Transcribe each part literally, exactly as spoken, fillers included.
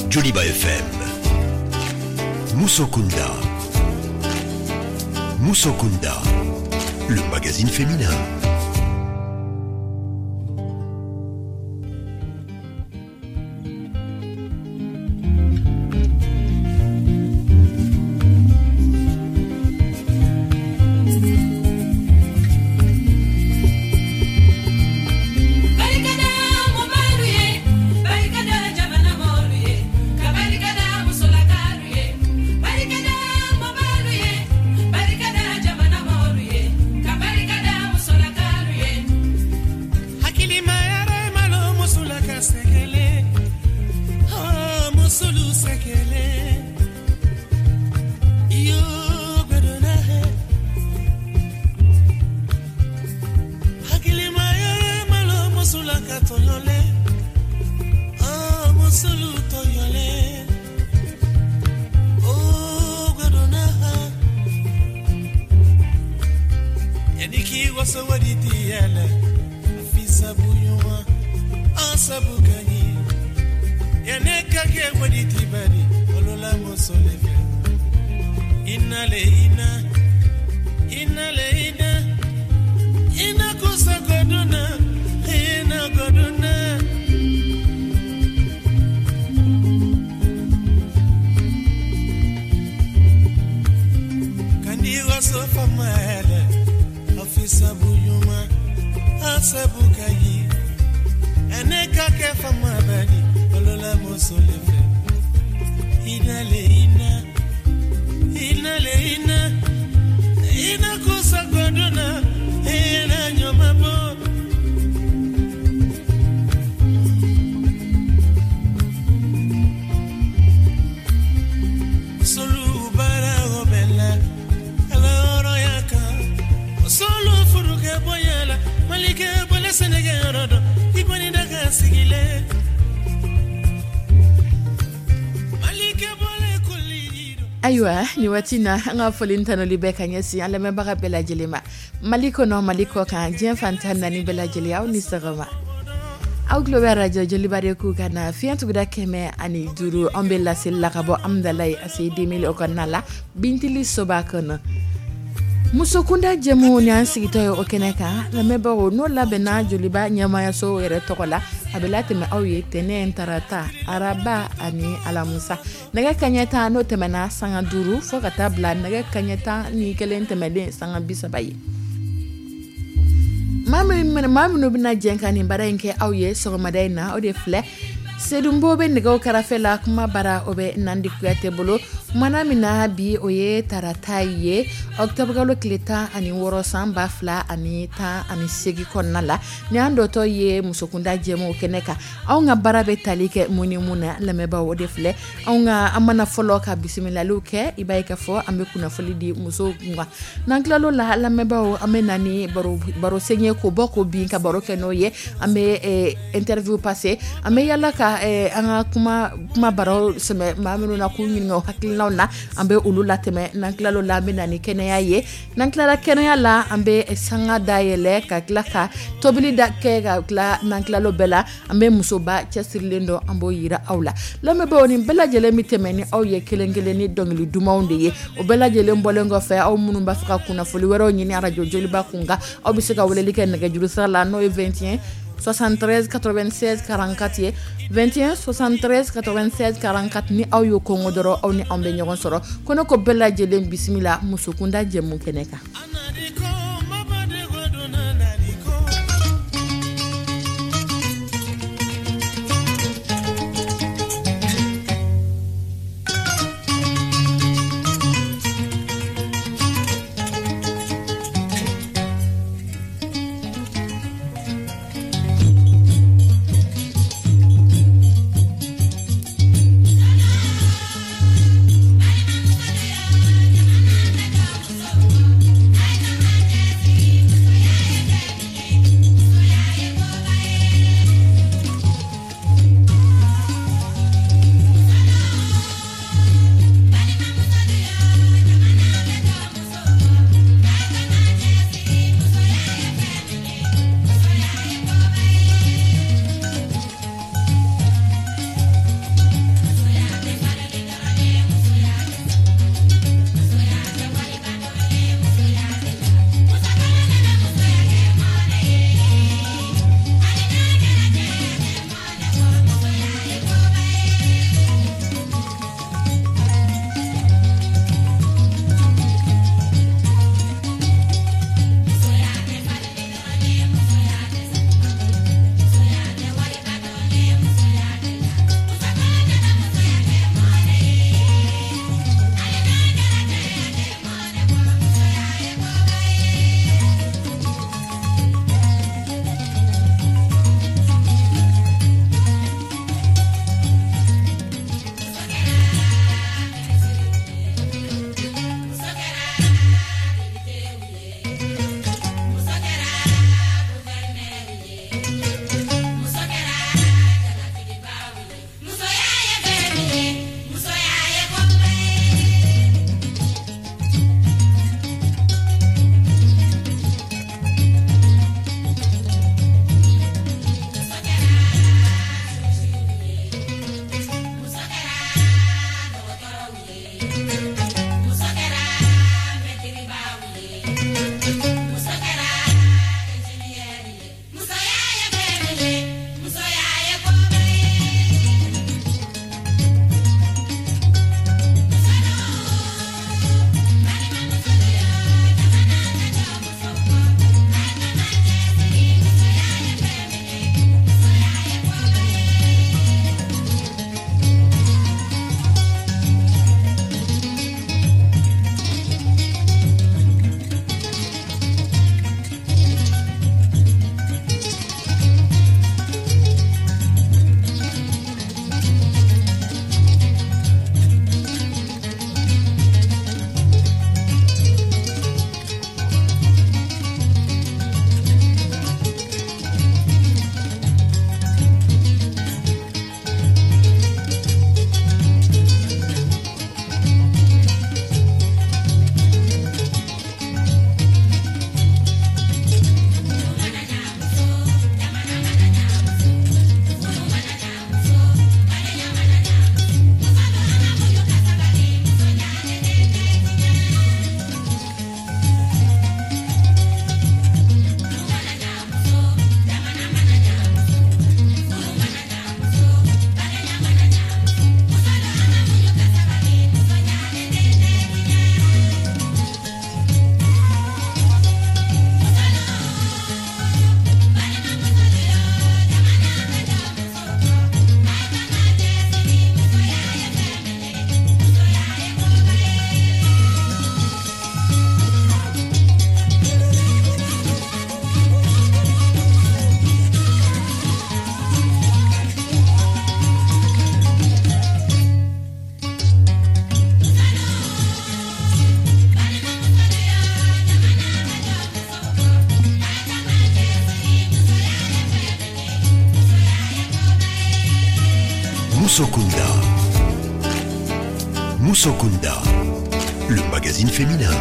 Joliba F M. Musokunda. Musokunda, le magazine féminin. Ayiwa, ni waati na, an ka foli tanuli bɛɛ ka ɲɛsin an lamɛnbaga bɛɛ lajɛlen ma, Mali kɔnɔ, Mali kɔ kan, diɲɛ fan tan naani bɛɛ lajɛlen, aw ni sɔgɔma. Aw tulo bɛ arajo Joliba de ku ka na fiɲɛ tuguda kɛmɛ ani duuru. An bɛ laseli la ka bɔ Amudalayi A C I deux mille o kɔnɔna la, Bintili soba kɔnɔ. Musokunda jɛmu ni an sigitɔ ye o kɛnɛ kan, lamɛnbagaw, n'o labɛnna Joliba ɲɛmayaso yɛrɛ tɔgɔ la. A bɛ latɛmɛ aw ye tɛnɛn, tarata, araba ani alamusa, nɛgɛ kaɲɛ tan n'o tɛmɛna sanga duuru fo ka taa bila nɛgɛ kaɲɛ tan ni kelen tɛmɛlen sanga bi saba ye. Maa minnu bɛna jɛ ka nin baara in kɛ aw ye sɔgɔmada in na, o de filɛ: Sedunbo bɛ nɛgɛw karafe la, kuma bara o bɛ Nandi Kuyate bolo. Mana min na bi, o ye tarata ye, ɔkutɔburukalo tile tan ani wɔɔrɔ, san ba fila ani tan ani seegin kɔnɔna la. Ni an dɔtɔ ye musokunda jɛmu kɛnɛ kan, anw ka baara bɛ tali kɛ mun ni mun na, lamɛnbaaw? O de filɛ: anw ka an mana fɔlɔ ka bisimilaliw kɛ, i b'a ye k'a fɔ an bɛ kunnafoni di musow kun. N'an tilal'o la, lamɛnbaaw, an bɛ na ni baro sen ye, k'o bɔ k'o bin ka baro kɛ n'o ye. An bɛ interview passer, an bɛ yala ka an ka kuma kuma baro sɛmɛ maa minnu na, k'u ɲininka o hakilinaw na, an bɛ olu latɛmɛ. N'an tilal'o la, an bɛ na ni kɛnɛya ye. N'an tilala kɛnɛya la, an bɛ sanga dayɛlɛ ka tila ka tobili da kɛ ka tila. N'an tilal'o bɛɛ la, an bɛ musoba cɛsirilen dɔ, an b'o yira aw la. Lamɛnbaaw, nin bɛɛ lajɛlen bɛ tɛmɛ ni aw ye kelen kelen ni dɔnkili dumanw de ye. O bɛɛ lajɛlen bɔlen kɔfɛ, aw minnu b'a fɛ ka kunnafoni wɛrɛw ɲini arajo Joliba kun kan, aw bɛ se ka weleli kɛ nɛgɛjuru sira la, n'o ye vingt et un soixante-treize quatre-vingt-seize quarante-quatre ye, vingt et un soixante-treize quatre-vingt-seize quarante-quatre. Ni aw y'o kɔngɔ dɔrɔn, aw ni anw bɛ ɲɔgɔn sɔrɔ. Ko ne ko bɛɛ lajɛlen bisimila musokunda jɛmu kɛnɛ kan. Musokunda. Musokunda, le magazine féminin.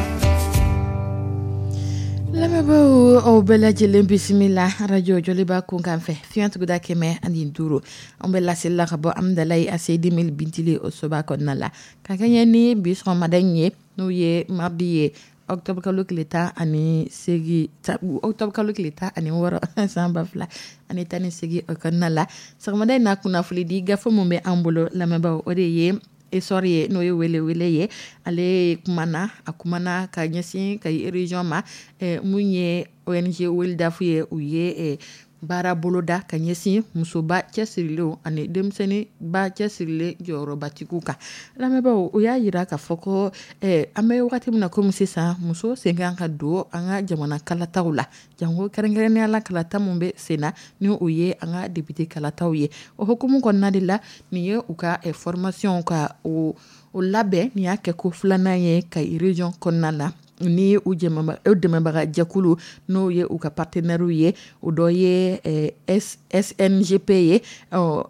Lamɛnbaaw, aw bɛɛ lajɛlen bisimila arajo Joliba kunkan fɛ, fiɲɛ tuguda kɛmɛ ani duuru. An bɛ laseli la ka bɔ Amidalayi A C D mille Bintili o soba kɔnɔna la, ka kɛɲɛ ni bi sɔgɔmada in ye, n'o ye mardi ye, octobre kalo tile tan ani seegin, octobre kalo tile tan ani wɔɔrɔ san ba fila ani tan ni seegin o kɔnɔna la. Sɔgɔmada in na, kunnafoni di gafe min bɛ an bolo, lamɛnbaaw, o de ye Essor ye, n'o ye welewele ye. Ale kumana, a kumana ka ɲɛsin Kayi région ma. Mun ye O N G Wildaf ye, u ye baara boloda ka ɲɛsin musoba cɛsirilenw ani denmisɛnninba cɛsirilen jɔyɔrɔbatigiw kan. Lamɛnbaaw, o y'a jira k'a fɔ ko an bɛ wagati min na komi sisan, muso sen kan ka don an ka jamana kalataw la, janko kɛrɛnkɛrɛnnenya la kalata min bɛ sen na, ni o ye an ka député kalataw ye. O hukumu kɔnɔna de la, nin ye u ka formation ka o labɛn. Nin y'a kɛ ko filanan ye Kayi région kɔnɔna la, ni u dɛmɛbaga jɛkulu, n'o ye u ka partenaires ye, o dɔ ye S N G P ye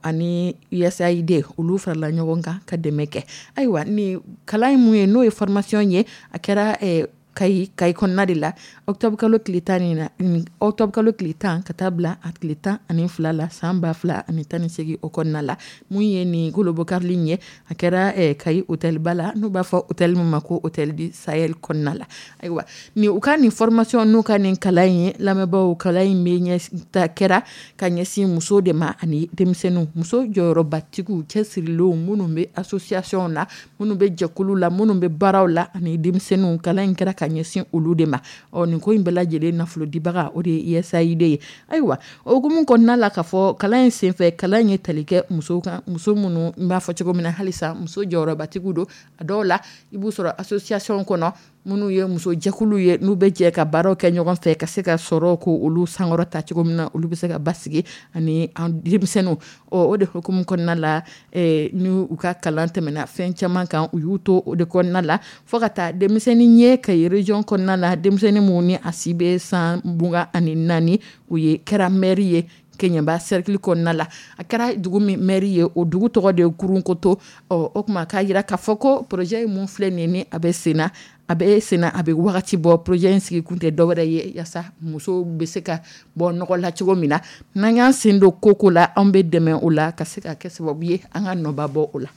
ani U S A I D. Olu farala ɲɔgɔn kan ka dɛmɛ kɛ. Ayiwa, ni kalan in mun ye, n'o ye formation ye, a kɛra Kayi Kayi kɔnɔna de la, octobre kalo tile tan ni octobre kalo tile tan ka taa bila a tile tan ani fila la san ba fila ani tan ni seegin o kɔnɔna la. Mun ye nin kolobokarili in ye, a kɛra Kayi hôtelba la, n'u b'a fɔ hôtel min ma ko Hôtel du Sahel kɔnɔna la. Ayiwa, nin u ka nin formation, n'u ka nin kalan in ye, lamɛnbaaw, kalan in bɛ ɲɛ kɛra ka ɲɛsin musow de ma ani denmisɛnninw, muso jɔyɔrɔbatigiw cɛsirilenw, minnu bɛ association na, minnu bɛ jɛkulu la, minnu bɛ baaraw la, ani denmisɛnninw. Kalan in kɛra ka ɲɛsin olu de ma. Ɔ nin ko in bɛɛ lajɛlen nafolodibaga, o de ye U S A I D ye. Ayiwa, o hukumu kɔnɔna la, ka fɔ kalan in senfɛ, kalan in ye tali kɛ musow kan, muso minnu n b'a fɔ cogo min na halisa muso jɔyɔrɔbatigiw don. A dɔw la, i b'u sɔrɔ association kɔnɔ, minnu ye muso jɛkulu ye, n'u bɛ jɛ ka baaraw kɛ ɲɔgɔn fɛ ka se ka sɔrɔ ko olu sankɔrɔta cogo min na, olu bɛ se ka basigi, ani denmisɛnninw. Ɔ o de hukumu kɔnɔna la, ni u ka kalan tɛmɛna fɛn caman kan, u y'u to o de kɔnɔna la fo ka taa denmisɛnnin ye Kayi région kɔnɔna la, denmisɛnnin minnu ni a si bɛ san mugan ani naani, u ye kɛra maire ye Keɲeba cercle kɔnɔna la. A kɛra dugu min maire ye, o dugu tɔgɔ de ye Kurunkoto. Ɔ o tuma k'a jira k'a fɔ ko projet in mun filɛ nin ye, ni a bɛ sen na, a bɛ sen na, a bɛ wagati bɔ. Projet in sigi kun tɛ dɔwɛrɛ ye yaasa musow bɛ se ka bɔ nɔgɔ la cogo min na. N'an y'an sen don ko ko la, anw bɛ dɛmɛ o la ka se ka kɛ sababu ye an ka nɔba bɔ o la.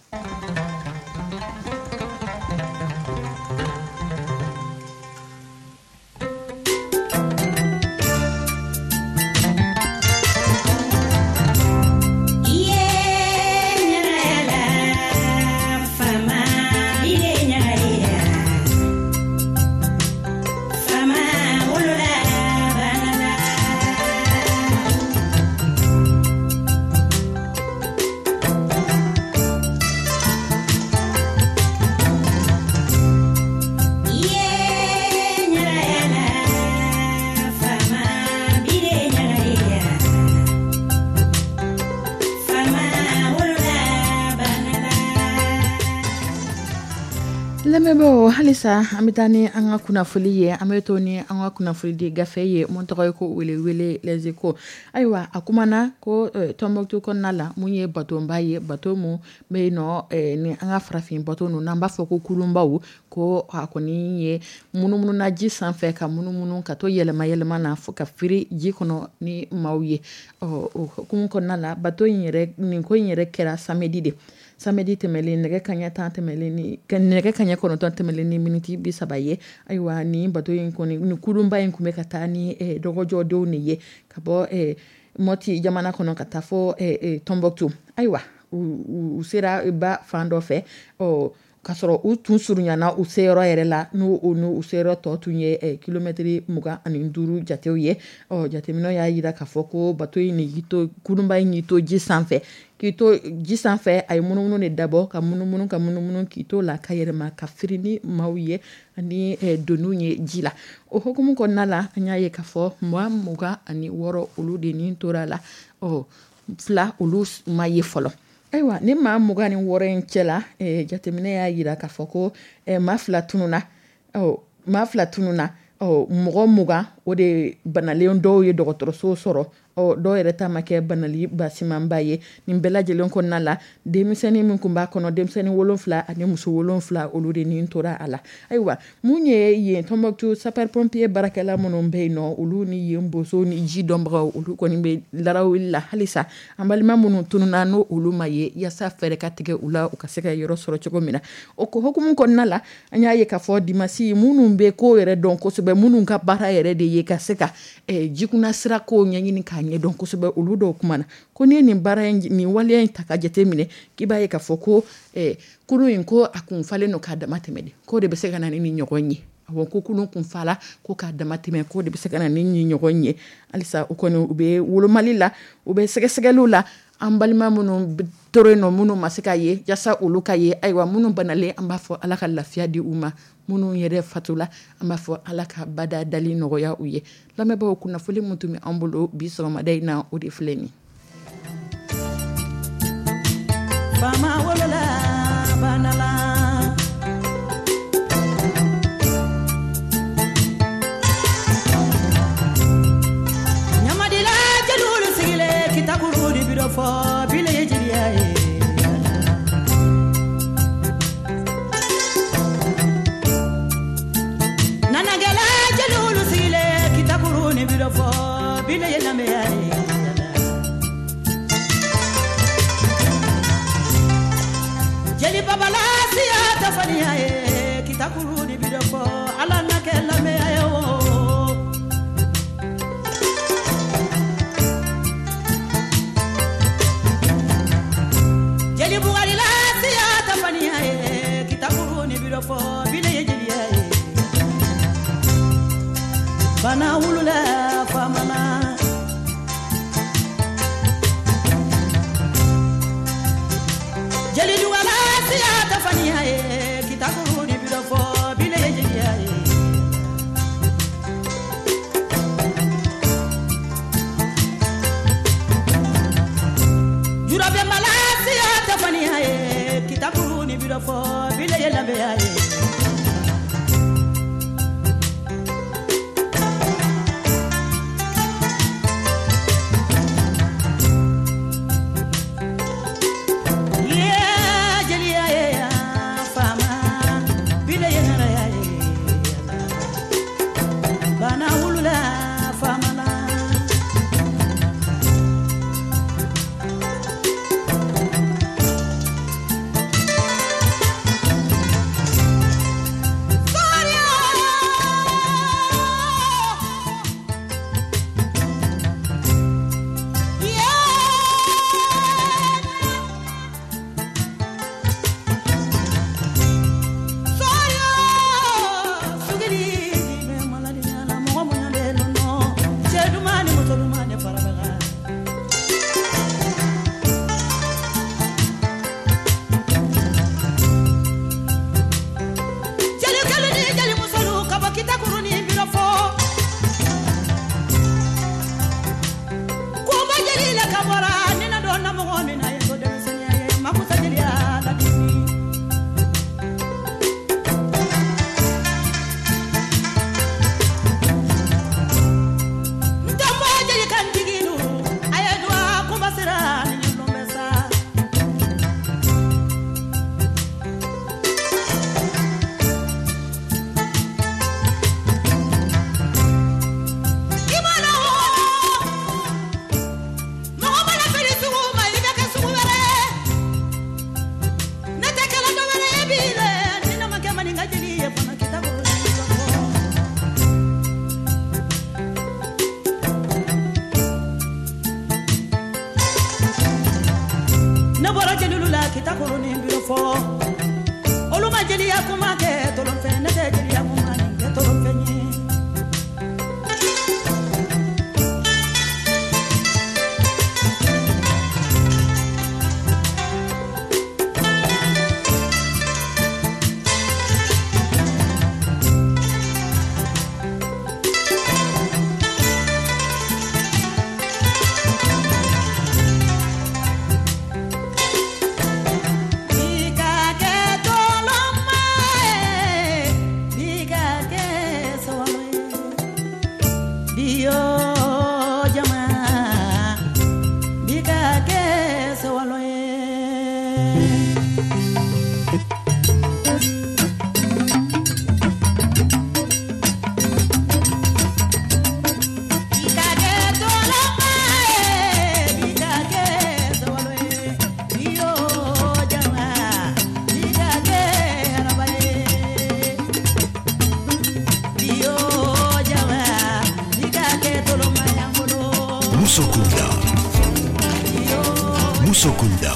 Lamɛnbaaw, halisa an bɛ taa ni an ka kunnafoni ye. An bɛ to ni an ka kunnafoni di gafe ye mun tɔgɔ ye ko Welewele, Les Échos. Ayiwa, a kumana ko Tɔnbɔkutu kɔnɔna la, mun ye batonba ye, bato mun bɛ yen nɔ ni an ka farafin bato ninnu n'an b'a fɔ ko kurunbaw, ko a kɔni ye munumununa ji sanfɛ, ka munumunu ka to yɛlɛma yɛlɛma na fo ka firi ji kɔnɔ ni maaw ye. Ɔ o hukumu kɔnɔna la, bato in yɛrɛ, nin ko in yɛrɛ kɛra samedi de, samedi tɛmɛlen, nɛgɛ kaɲɛ tan tɛmɛlen ni nɛgɛ kaɲɛ kɔnɔntɔn tɛmɛlen ni miniti bi saba ye. Ayiwa, nin bato in kɔni, nin kurunba in tun bɛ ka taa ni dɔgɔjɔdenw de ye ka bɔ Mɔti jamana kɔnɔ ka taa fɔ Tɔnbɔkutu. Ayiwa, u sera ba fan dɔ fɛ, ɔ k'a sɔrɔ u tun surunyana u seyɔrɔ yɛrɛ la, n'u u seyɔrɔ tɔ tun ye kilomɛtiri mugan ani duuru jatew ye. Ɔ jateminɛw y'a jira k'a fɔ ko bato in y'i to, kurunba in y'i to ji sanfɛ, k'i to ji sanfɛ, a ye munumunu de dabɔ, ka munumunu, ka munumunu, k'i to la ka yɛlɛma ka firi ni maaw ye ani doniw ye ji la. O hukumu kɔnɔna la, an y'a ye k'a fɔ maa mugan ani wɔɔrɔ olu de ni tora la, ɔ fila olu ma ye fɔlɔ. Ayiwa, ni maa mugan ni wɔɔrɔ in cɛ la, jateminɛ y'a jira k'a fɔ ko maa fila tununna, ɔ maa fila tununna. Ɔ mɔgɔ mugan o de banalen, dɔw ye dɔgɔtɔrɔso sɔrɔ. Ɔ dɔw yɛrɛ ta ma kɛ banali basimanba ye. Nin bɛɛ lajɛlen kɔnɔna la, denmisɛnnin min tun b'a kɔnɔ, denmisɛnnin wolonfila ani muso wolonfila, olu de nin tora a la. Ayiwa, mun ye yen Tɔnbukutu sapeur pompier baarakɛla minnu bɛ yen nɔ, olu ni yen bozo ni ji dɔnbagaw, olu kɔni bɛ larawuli la halisa an balima minnu tununna n'o olu ma ye, yaasa fɛɛrɛ ka tigɛ u la, u ka se ka yɔrɔ sɔrɔ cogo min na. O ko hukumu kɔnɔna la, an y'a ye k'a fɔ dimasi minnu bɛ ko yɛrɛ dɔn kosɛbɛ, minnu ka baara yɛrɛ de ye ka se ka jikunna sira ko ɲɛɲini k'a ɲɛdɔn kosɛbɛ, olu dɔw kuma na ko n'i ye nin baara in, nin waleya in ta ka jate minɛ, k'i b'a ye k'a fɔ ko kurun in ko a kun falen don k'a dama tɛmɛ de, k'o de bɛ se ka na ni nin ɲɔgɔn ye. Awɔ, ko kurun kun fala ko k'a dama tɛmɛ, k'o de bɛ se ka na ni nin ɲɔgɔn ye. Halisa u kɔni u bɛ wolomali la, u bɛ sɛgɛsɛgɛliw la, an balima minnu tora yen nɔ, minnu ma se ka ye, yaasa olu ka ye. Ayiwa, minnu banalen, an b'a fɔ Ala ka lafiya di u ma, minnu yɛrɛ fatula, an b'a fɔ Ala ka bada dali nɔgɔya u ye. Lamɛnbaaw, kunnafoni min tun bɛ an bolo bi sɔgɔmada in na, o de filɛ nin ye. Faama wolola banala. Ɲamadila jeliw sigilen kitakuru de bi dɔ fɔ bile ye jeliya ye. Nanagɛla jeliw sigilen kitakuru de bi dɔ fɔ bile ye lamɛya ye. Jeli babala siya tɛ fɔniya ye kitakuru de bi dɔ fɔ Ala na kɛ lamɛya ye o. Jeli Bugarila siya tɛ fɔniya ye kitakuru de bi dɔ fɔ bile ye jeliya ye. Bana wulula faamana. Jeli Duwala siya tɛ fɔniya ye kitakuru de bi dɔ fɔ bile ye jeliya ye. Jurabɛnbala siya tɛ fɔniya ye kitakuru de bi dɔ fɔ bile ye lamɛya ye. Bana wulula faamana. Ne bɔra jeliw la kitakuru ni bi fɔ olu ma jeliya kuma kɛ tolonfɛn, ne tɛ jeliya kuma nin kɛ tolonfɛn ye. Musokunda. Musokunda,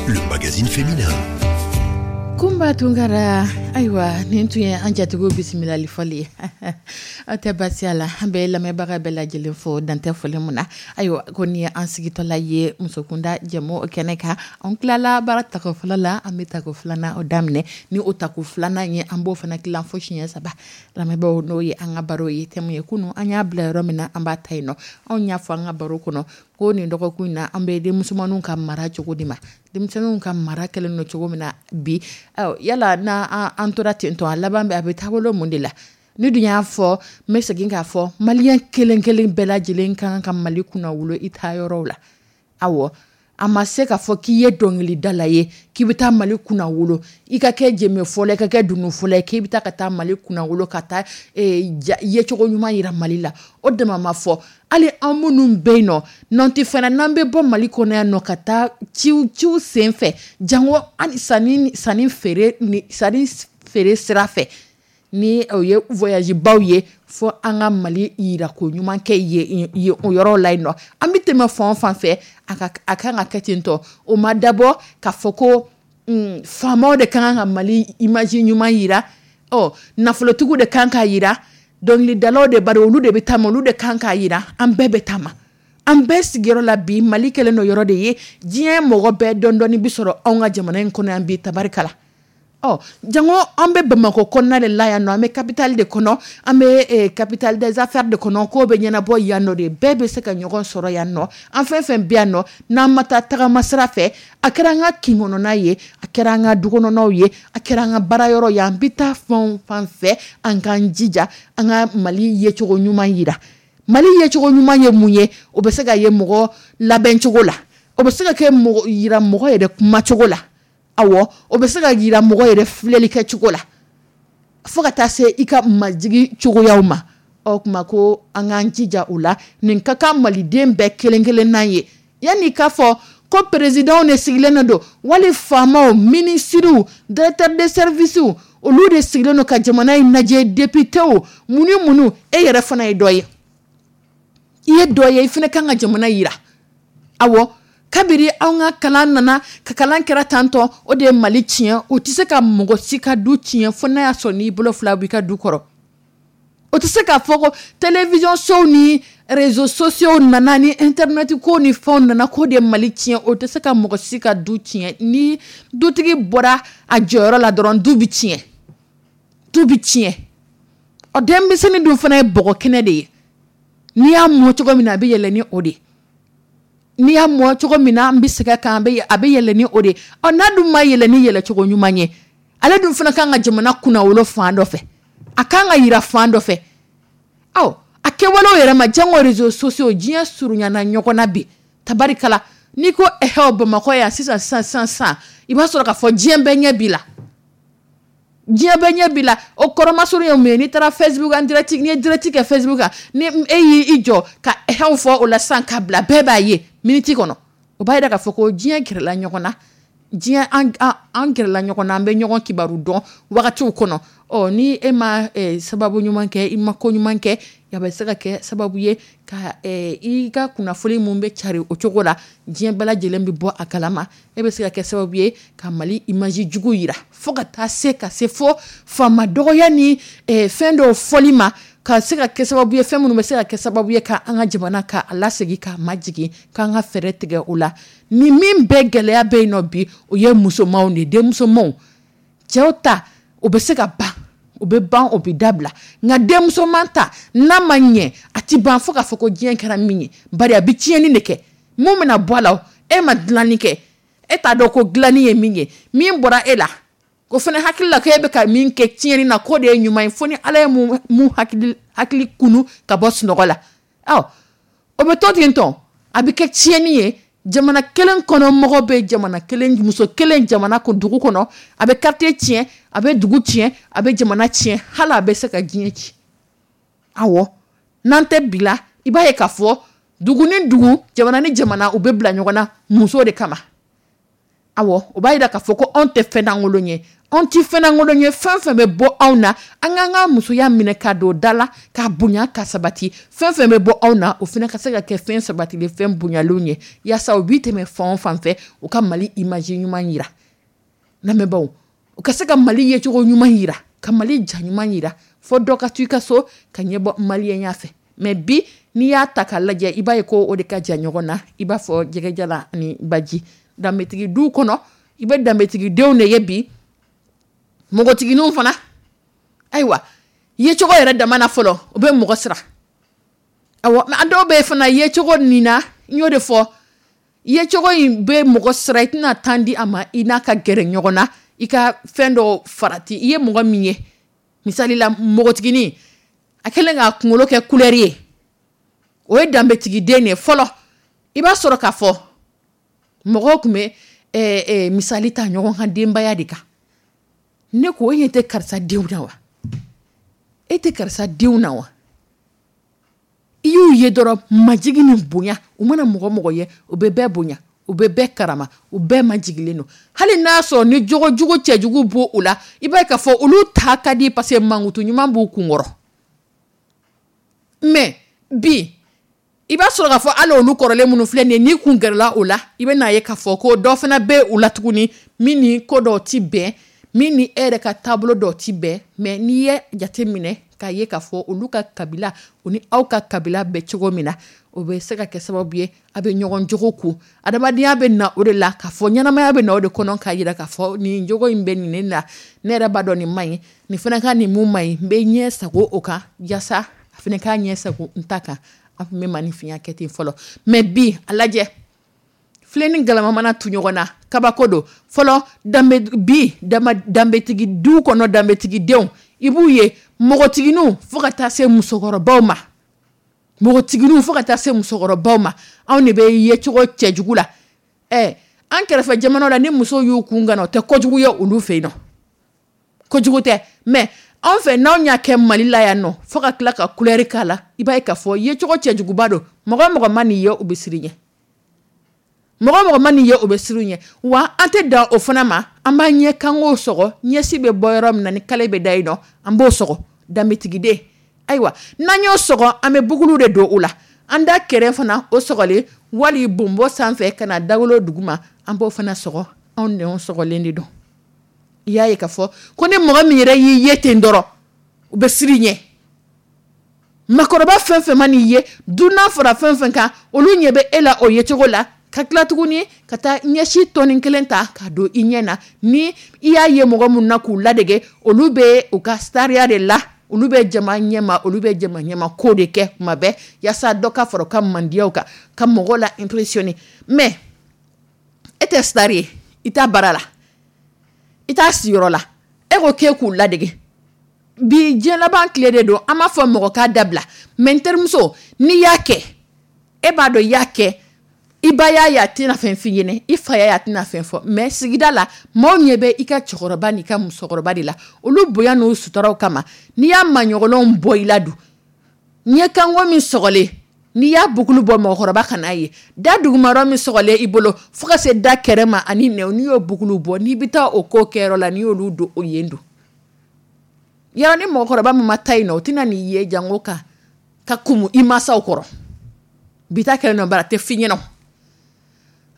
le magazine féminin. Kunba Tunkara, ayiwa, nin tun ye an jatigiw bisimilali fɔli ye. Aw tɛ baasi la, an bɛ lamɛnbaga bɛɛ lajɛlen fo dantɛ foli mun na. Ayiwa, ko nin ye an sigitɔla ye Musokunda jɛmu kɛnɛ kan. An tilala baara tako fɔlɔ la, an bɛ tako filanan o daminɛ. Ni o tako filanan ye, an b'o fana tilan fo siɲɛ saba. Lamɛnbaaw, n'o ye an ka baro ye, thème ye kunun an y'a bila yɔrɔ min na, an b'a ta yen nɔ. Anw y'a fɔ an ka baro kɔnɔ ko nin dɔgɔkun in na, an bɛ denmusomaninw ka mara cogo di ma. Denmisɛnninw ka mara kɛlen don cogo min na bi, yala n'a an tora ten tɔ, a laban bɛ a bɛ taabolo mun de la? Ni dun y'a fɔ, n bɛ segin k'a fɔ, maliyɛn kelen kelen bɛɛ lajɛlen kan ka Mali kunna wolo i taa yɔrɔw la. Awɔ, a ma se k'a fɔ k'i ye dɔnkilidala ye k'i bɛ taa Mali kunna wolo, i ka kɛ jɛmɛfɔla, i ka kɛ dununfɔla ye, k'i bɛ taa ka taa Mali kunna wolo, ka taa yecogo ɲuman yira Mali la. O dama ma fɔ, hali an minnu bɛ yen nɔ n'an tɛ fɛn na, n'an bɛ bɔ Mali kɔnɔ yan nɔ ka taa ciw ciw sen fɛ, jango hali sanni sanni feere ni sanni feere sira fɛ, ni o ye voyage baw ye, fo an ka Mali yirako ɲuman kɛ ye o yɔrɔ la yen nɔ. An bɛ tɛmɛ fan o fan fɛ, a ka a kan ka kɛ ten tɔ. O ma dabɔ k'a fɔ ko faamaw de kan ka Mali image ɲuman yira, ɔ nafolotigiw de kan k'a yira, dɔnkilidalaw de bari olu de bɛ taama, olu de kan k'a yira. An bɛɛ bɛ taama, an bɛɛ sigiyɔrɔ la bi. Mali kɛlen don yɔrɔ de ye, diɲɛ mɔgɔ bɛɛ dɔɔni dɔɔni bi sɔrɔ anw ka jamana in kɔnɔ yan bi, tabarikala. Ɔ jango an bɛ Bamakɔ kɔnɔna de la yan nɔ, an bɛ capitale de kɔnɔ, an bɛ capitale des affaires de kɔnɔ, k'o bɛ ɲɛnabɔ yan nɔ de, bɛɛ bɛ se ka ɲɔgɔn sɔrɔ yan nɔ. An fɛn fɛn bɛ yan nɔ, n'an ma taa tagama sira fɛ, a kɛra an ka kin kɔnɔna ye, a kɛra an ka du kɔnɔnaw ye, a kɛra an ka baara yɔrɔ ye, an bɛ taa fɛn o fan fɛ, an k'an jija an ka Mali yecogo ɲuman yira. Mali yecogo ɲuman ye mun ye? O bɛ se ka ye mɔgɔ labɛncogo la, o bɛ se ka kɛ mɔgɔ yira mɔgɔ yɛrɛ kumacogo la. Awɔ, o bɛ se ka yira mɔgɔ yɛrɛ filɛli kɛ cogo la, fo ka taa se i ka majigi cogoyaw ma. Ɔ kuma ko an k'an jija o la. Nin ka kan maliden bɛɛ kelen kelenna ye. Yanni k'a fɔ ko présidentw de sigilen don, wali faamaw, minisiriw, directeur de service, olu de sigilen don ka jamana in lajɛ, députéw, mun ni mun, e yɛrɛ fana ye dɔ ye. I ye dɔ ye, i fana kan ka jamana yira. Awɔ, kabiri anw ka kalan nana, ka kalan kɛra tantɔ, o de ye Mali tiɲɛ. O tɛ se ka mɔgɔ si ka du tiɲɛ fo n'a y'a sɔrɔ n'i bolo fila b'i ka du kɔrɔ. O tɛ se k'a fɔ ko télévision sow ni réseaux sociaux nana ni internet ko ni fɛnw nana k'o de ye Mali tiɲɛ. O tɛ se ka mɔgɔ si ka du tiɲɛ. Ni dutigi bɔra a jɔyɔrɔ la dɔrɔn, du bɛ tiɲɛ, du bɛ tiɲɛ. Ɔ denmisɛnnin dun fana ye bɔgɔ kɛnɛ de ye. N'i y'a mɔ cogo min na, a bɛ yɛlɛ ni o de ye. N'i y'a mɔ cogo min na, an bɛ segin a kan, a bɛ a bɛ yɛlɛ ni o de ye. Ɔ n'a dun ma yɛlɛ ni yɛlɛcogo ɲuman ye, ale dun fana kan ka jamana kunnawolo fan dɔ fɛ, a kan ka yira fan dɔ fɛ. Ɔ a kɛwalew yɛrɛ ma, jango réseaux sociaux, diɲɛ surunyana ɲɔgɔn na bi, tabarikala. N'i ko ɛhɛ Bamakɔ yan sisan sisan sisan sisan, i b'a sɔrɔ k'a fɔ diɲɛ bɛɛ ɲɛ b'i la. Diɲɛ bɛɛ ɲɛ b'i la. O kɔrɔmasuru ye mun ye? N'i taara Facebook en direct, n'i ye direct kɛ Facebook kan, ni e y'i jɔ ka ɛhɛw fɔ o la sisan k'a bila, bɛɛ b'a ye miniti kɔnɔ. O b'a yira k'a fɔ ko diɲɛ gɛrɛla ɲɔgɔn na, diɲɛ an an gɛrɛla ɲɔgɔn na, an bɛ ɲɔgɔn kibaru dɔn wagatiw kɔnɔ. Ɔ ni e ma sababu ɲuman kɛ, i ma ko ɲuman kɛ, a bɛ se ka kɛ sababu ye ka i ka kunnafoni mun bɛ cari o cogo la, diɲɛ bɛɛ lajɛlen bɛ bɔ a kalama. E bɛ se ka kɛ sababu ye ka Mali image jugu yira, fo ka taa se ka se fo faama dɔgɔya ni fɛn dɔw fɔli ma, ka se ka kɛ sababu ye fɛn minnu bɛ se ka kɛ sababu ye ka an ka jamana ka a lasegin k'a majigin, k'an ka fɛɛrɛ tigɛ o la. Ni min bɛɛ gɛlɛya bɛ yen nɔ bi, o ye musomanw de ye, denmusomanw. Cɛw ta o bɛ se ka ban, o bɛ ban, o bɛ dabila. Nka denmusoman ta, n'a ma ɲɛ, a ti ban fo k'a fɔ ko diɲɛ kɛra min ye, bari a bɛ tiɲɛni de kɛ. Mun bɛna bɔ a la? E ma dilanni kɛ, e t'a dɔn ko dilanni ye min ye. Min bɔra e la, o fana hakili la k'e bɛ ka min kɛ tiɲɛni na, k'o de ye ɲuman ye, fo ni Ala ye mun hakili hakili kunu ka bɔ sunɔgɔ la. Ɔ o bɛ to ten tɔ, a bɛ kɛ tiɲɛni ye. Jamana kelen kɔnɔ, mɔgɔ bɛ jamana kelen, muso kelen jamana ko dugu kɔnɔ, a bɛ quartier tiɲɛ, a bɛ dugu tiɲɛ, a bɛ jamana tiɲɛ, hali a bɛ se ka diɲɛ ci. Awɔ, n'an tɛ bila, i b'a ye k'a fɔ dugu ni dugu, jamana ni jamana, u bɛ bila ɲɔgɔn na muso de kama. Awɔ, o b'a jira k'a fɔ ko anw tɛ fɛn lankolon ye, anw tɛ fɛn lankolon ye. Fɛn fɛn bɛ bɔ anw na, an k'an ka musoya minɛ ka don da la, k'a bonya, ka sabati. Fɛn fɛn bɛ bɔ anw na, o fana ka se ka kɛ fɛn sabatilen, fɛn bonyalenw ye, yaasa u bi tɛmɛ fan o fan fɛ, u ka Mali image ɲuman yira. Lamɛnbaaw, u ka se ka Mali yecogo ɲuman yira, ka Mali ja ɲuman yira, fo dɔ ka to i ka so ka ɲɛbɔ maliyɛnya fɛ. Mais bi, n'i y'a ta k'a lajɛ, i b'a ye ko o de ka jan ɲɔgɔn na, i b'a fɔ jɛgɛjala ni baji. Danbetigi duw kɔnɔ, i bɛ danbetigidenw de ye bi, npogotigininw fana. Ayiwa, yecogo yɛrɛ dama na fɔlɔ, o bɛ mɔgɔ siran. Awɔ, a dɔw bɛ fana yecogo nin na, n y'o de fɔ, yecogo in bɛ mɔgɔ siran. I tɛna tan di a ma i n'a ka gɛrɛ ɲɔgɔn na, i ka fɛn dɔ farati. I ye mɔgɔ min ye, misali la, npogotiginin a kɛlen k'a kunkolo kɛ couleur ye, o ye danbetigiden de ye. Fɔlɔ, i b'a sɔrɔ k'a fɔ mɔgɔw tun bɛ eh, eh, misali ta ɲɔgɔn kan denbaya de kan. Ne ko, e ɲɛ tɛ karisa denw na wa? E tɛ karisa denw na wa? I y'u ye dɔrɔn, majigin ni bonya. U mana mɔgɔ mɔgɔ ye, u bɛ bɛɛ bonya, u bɛ bɛɛ karama, u bɛɛ majigilen don. Hali n'a sɔrɔ ni jogojugu cɛjugu b'o u la, i b'a ye k'a fɔ olu ta ka di, parce que mankutu ɲuman b'u kunkɔrɔ. Mais bi, i b'a sɔrɔ k'a fɔ hali olu kɔrɔlen minnu filɛ nin ye, n'i kun gɛrɛla o la, i bɛ n'a ye k'a fɔ ko dɔ fana bɛ u la tuguni min ni ko dɔw ti bɛn, min ni e yɛrɛ ka taabolo dɔw ti bɛn. Mais n'i ye jate minɛ k'a ye k'a fɔ olu ka kabila, o ni aw ka kabila bɛ cogo min na, o bɛ se ka kɛ sababu ye a bɛ ɲɔgɔn jogo kun. Adamadenya bɛ na o de la, k'a fɔ ɲɛnamaya bɛ na o de kɔnɔ, k'a jira k'a fɔ nin jogo in bɛ nin ne la, ne yɛrɛ b'a dɔn nin man ɲi, nin fana ka nin mun man ɲi, n bɛ ɲɛ sago o kan, yaasa a fana k'a ɲɛ sago n ta kan. An tun bɛ maninfinya kɛ ten fɔlɔ. Mais bi, a lajɛ, filen ni galama mana tu ɲɔgɔn na, kabako don. Fɔlɔ danbe, bi danbetigi du kɔnɔ, danbetigidenw, i b'u ye npogotigininw fo ka taa se musokɔrɔbaw ma, npogotigininw fo ka taa se musokɔrɔbaw ma, anw de bɛ yecogo cɛjugu la. Ɛ, an kɛrɛfɛ jamanaw la, ni musow y'u kun gana, o tɛ kojugu ye olu fɛ yen nɔ, kojugu tɛ. Mais anw fɛ, n'anw y'a kɛ Mali la yan nɔ, fo ka tila ka couleur k'a la, i b'a ye k'a fɔ yecogo cɛjuguba don. Mɔgɔ mɔgɔ ma n'i ye, u bɛ siran ɲɛ. Mɔgɔ mɔgɔ ma n'i ye, o bɛ siran ɲɛ. Wa an tɛ dan o fana ma, an b'an ɲɛ kanko sɔgɔ, ɲɛsi bɛ bɔ yɔrɔ min na ni kale bɛ da yen nɔ, an b'o sɔgɔ. Danbetigiden, ayiwa, n'an y'o sɔgɔ, an bɛ bugulu de don o la, an da kɛrɛ fana o sɔgɔlen, wali bonbɔ sanfɛ ka na dawolo duguma, an b'o fana sɔgɔ. Anw nɛnw sɔgɔlen de don. I y'a ye k'a fɔ ko ni mɔgɔ min yɛrɛ y'i ye ten dɔrɔn, u bɛ siran ɲɛ. Makɔrɔba fɛn fɛn ma n'i ye, dunan fara fɛn fɛn kan, olu ɲɛ bɛ e la o yecogo la. Ka tila tuguni ka taa ɲɛsi tɔnin kelen ta ka don i ɲɛ na, ni i y'a ye mɔgɔ mun na k'u ladege, olu bɛ u ka sariya de la, olu bɛ jama ɲɛma, olu bɛ jama ɲɛma ko de kɛ kuma bɛɛ, yaasa dɔ ka fara u ka mandiyaw kan, ka mɔgɔw la impressionner. Mais e tɛ star ye, i t'a baara la, i t'a siyɔrɔ la, e ko k'e k'u ladege. Bi, diɲɛ laban tile de don. An b'a fɔ mɔgɔ k'a dabila, mais n terimuso, n'i y'a kɛ, e b'a dɔn i y'a kɛ, i ba y'a ye, a tɛna fɛn f'i ɲɛnɛ, i fa y'a ye, a tɛna fɛn fɔ. Mais sigida la, maaw ɲɛ bɛ i ka cɛkɔrɔba n'i ka musokɔrɔba de la, olu bonya n'u sutaraw kama. N'i y'a maɲɔgɔnlenw bɔ i la dun, ɲɛkanko min sɔgɔlen, n'i y'a bukulu bɔ, mɔgɔkɔrɔba kan'a ye, da dugumayɔrɔ min sɔgɔlen i bolo fo ka se da kɛrɛ ma ani nɛw, n'i y'o bukulu bɔ, n'i bɛ taa o ko kɛyɔrɔ la, n'i y'olu don o yen don yɔrɔ, ni mɔgɔkɔrɔba min ma taa yen nɔ, o tɛna n'i ye jango ka ka kumu i mansaw kɔrɔ. Bi ta kɛlen nɔ bara a tɛ f'i ɲɛna.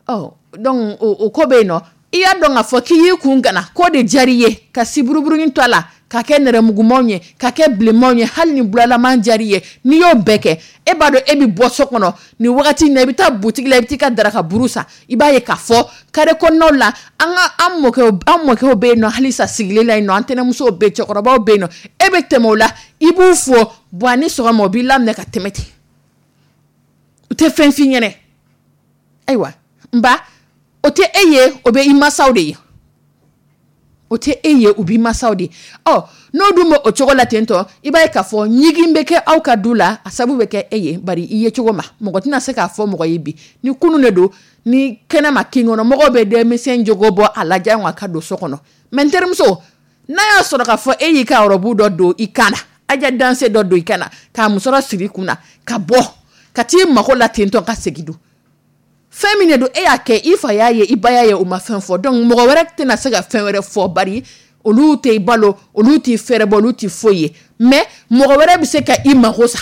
Ɔ, donc o ko bɛ yen nɔ. I y'a dɔn k'a fɔ k'i y'i kun gana k'o de diyara i ye, ka siburuburunin to a la, ka kɛ nɛrɛmugumanw ye, ka kɛ bilenmanw ye, hali ni bulalaman diyara i ye, n'i y'o bɛɛ kɛ, e b'a dɔn e bɛ bɔ so kɔnɔ nin wagati in na, i bɛ taa butigi la, i bɛ t'i ka daraka buru san. I b'a ye k'a fɔ carré kɔnɔnaw la, an ka an mɔkɛw an mɔkɛw bɛ yen nɔ halisa sigilen la yen nɔ, an tɛnɛmusow bɛ yen, cɛkɔrɔbaw bɛ yen nɔ. E bɛ tɛmɛ o la, i b'u fo bɔn a ni sɔgɔma, o b'i laminɛ ka tɛmɛ ten, u tɛ fɛn f'i ɲɛnɛ. Ayiwa, n ba, o tɛ e ye, o bɛ i mansaw de ye. O tɛ e ye, u b'i masaw de. Ɔ, n'o dun bɛ o cogo la ten tɔ, i b'a ye k'a fɔ ɲigin bɛ kɛ aw ka du la, a sababu bɛ kɛ e ye, bari i ye cogo ma mɔgɔ tɛna se k'a fɔ mɔgɔ ye bi ni kunun de don ni kɛnɛma kin kɔnɔ mɔgɔw bɛ denmisɛn jogo bɔ a la jango ka don so kɔnɔ. Mɛ n terimuso, n'a y'a sɔrɔ k'a fɔ e y'i ka robe dɔ don i kan na, aja danse dɔ don i kan na, k'a musɔrɔ siri i kun na ka bɔ ka t'i mako la ten tɔ ka segin dun, fɛn min de don, e y'a kɛ, i fa y'a ye, i ba y'a ye, u ma fɛn fɔ. Donc mɔgɔ wɛrɛ tɛna se ka fɛn wɛrɛ fɔ, bari olu tɛ i balo, olu t'i fɛrɛ bɔ, olu t'i foyi ye. Mais mɔgɔ wɛrɛ bɛ se ka i mako sa,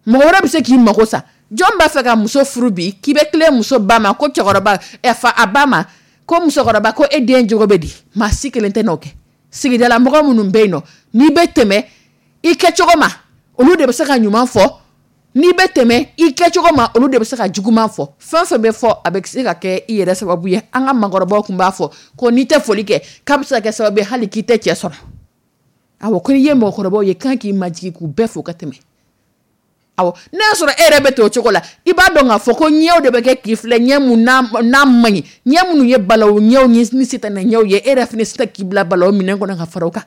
mɔgɔ wɛrɛ bɛ se k'i mako sa. Jɔn b'a fɛ ka muso furu bi k'i bɛ tilen muso ba ma ko cɛkɔrɔba ɛ fa a ba ma ko musokɔrɔba ko e den jogo bɛ di? Maa si kelen tɛ n'o kɛ. Sigidala mɔgɔ minnu bɛ yen nɔ, n'i bɛ tɛmɛ i kɛcogo ma, olu de bɛ se ka ɲuman fɔ. N'i bɛ tɛmɛ i kɛcogo ma, olu de bɛ se ka juguman fɔ. Fɛn fɛn bɛ fɔ, a bɛ se ka kɛ i yɛrɛ sababu ye. An ka maakɔrɔbaw tun b'a fɔ ko n'i tɛ foli kɛ, k'a bɛ se ka kɛ sababu ye hali k'i tɛ cɛ sɔrɔ. Awɔ, ko n'i ye mɔgɔkɔrɔbaw ye, kan k'i majigin k'u bɛɛ fo ka tɛmɛ. Awɔ, n'a y'a sɔrɔ e yɛrɛ bɛ ten o cogo la, i b'a dɔn k'a fɔ ko ɲɛw de bɛ kɛ k'i filɛ, ɲɛ mun n'a man ɲi, ɲɛ minnu ye balawu ɲɛw ni sitanɛ ɲɛw ye, e yɛrɛ fana se k'i bila balawu minɛn kɔnɔ ka fara o kan.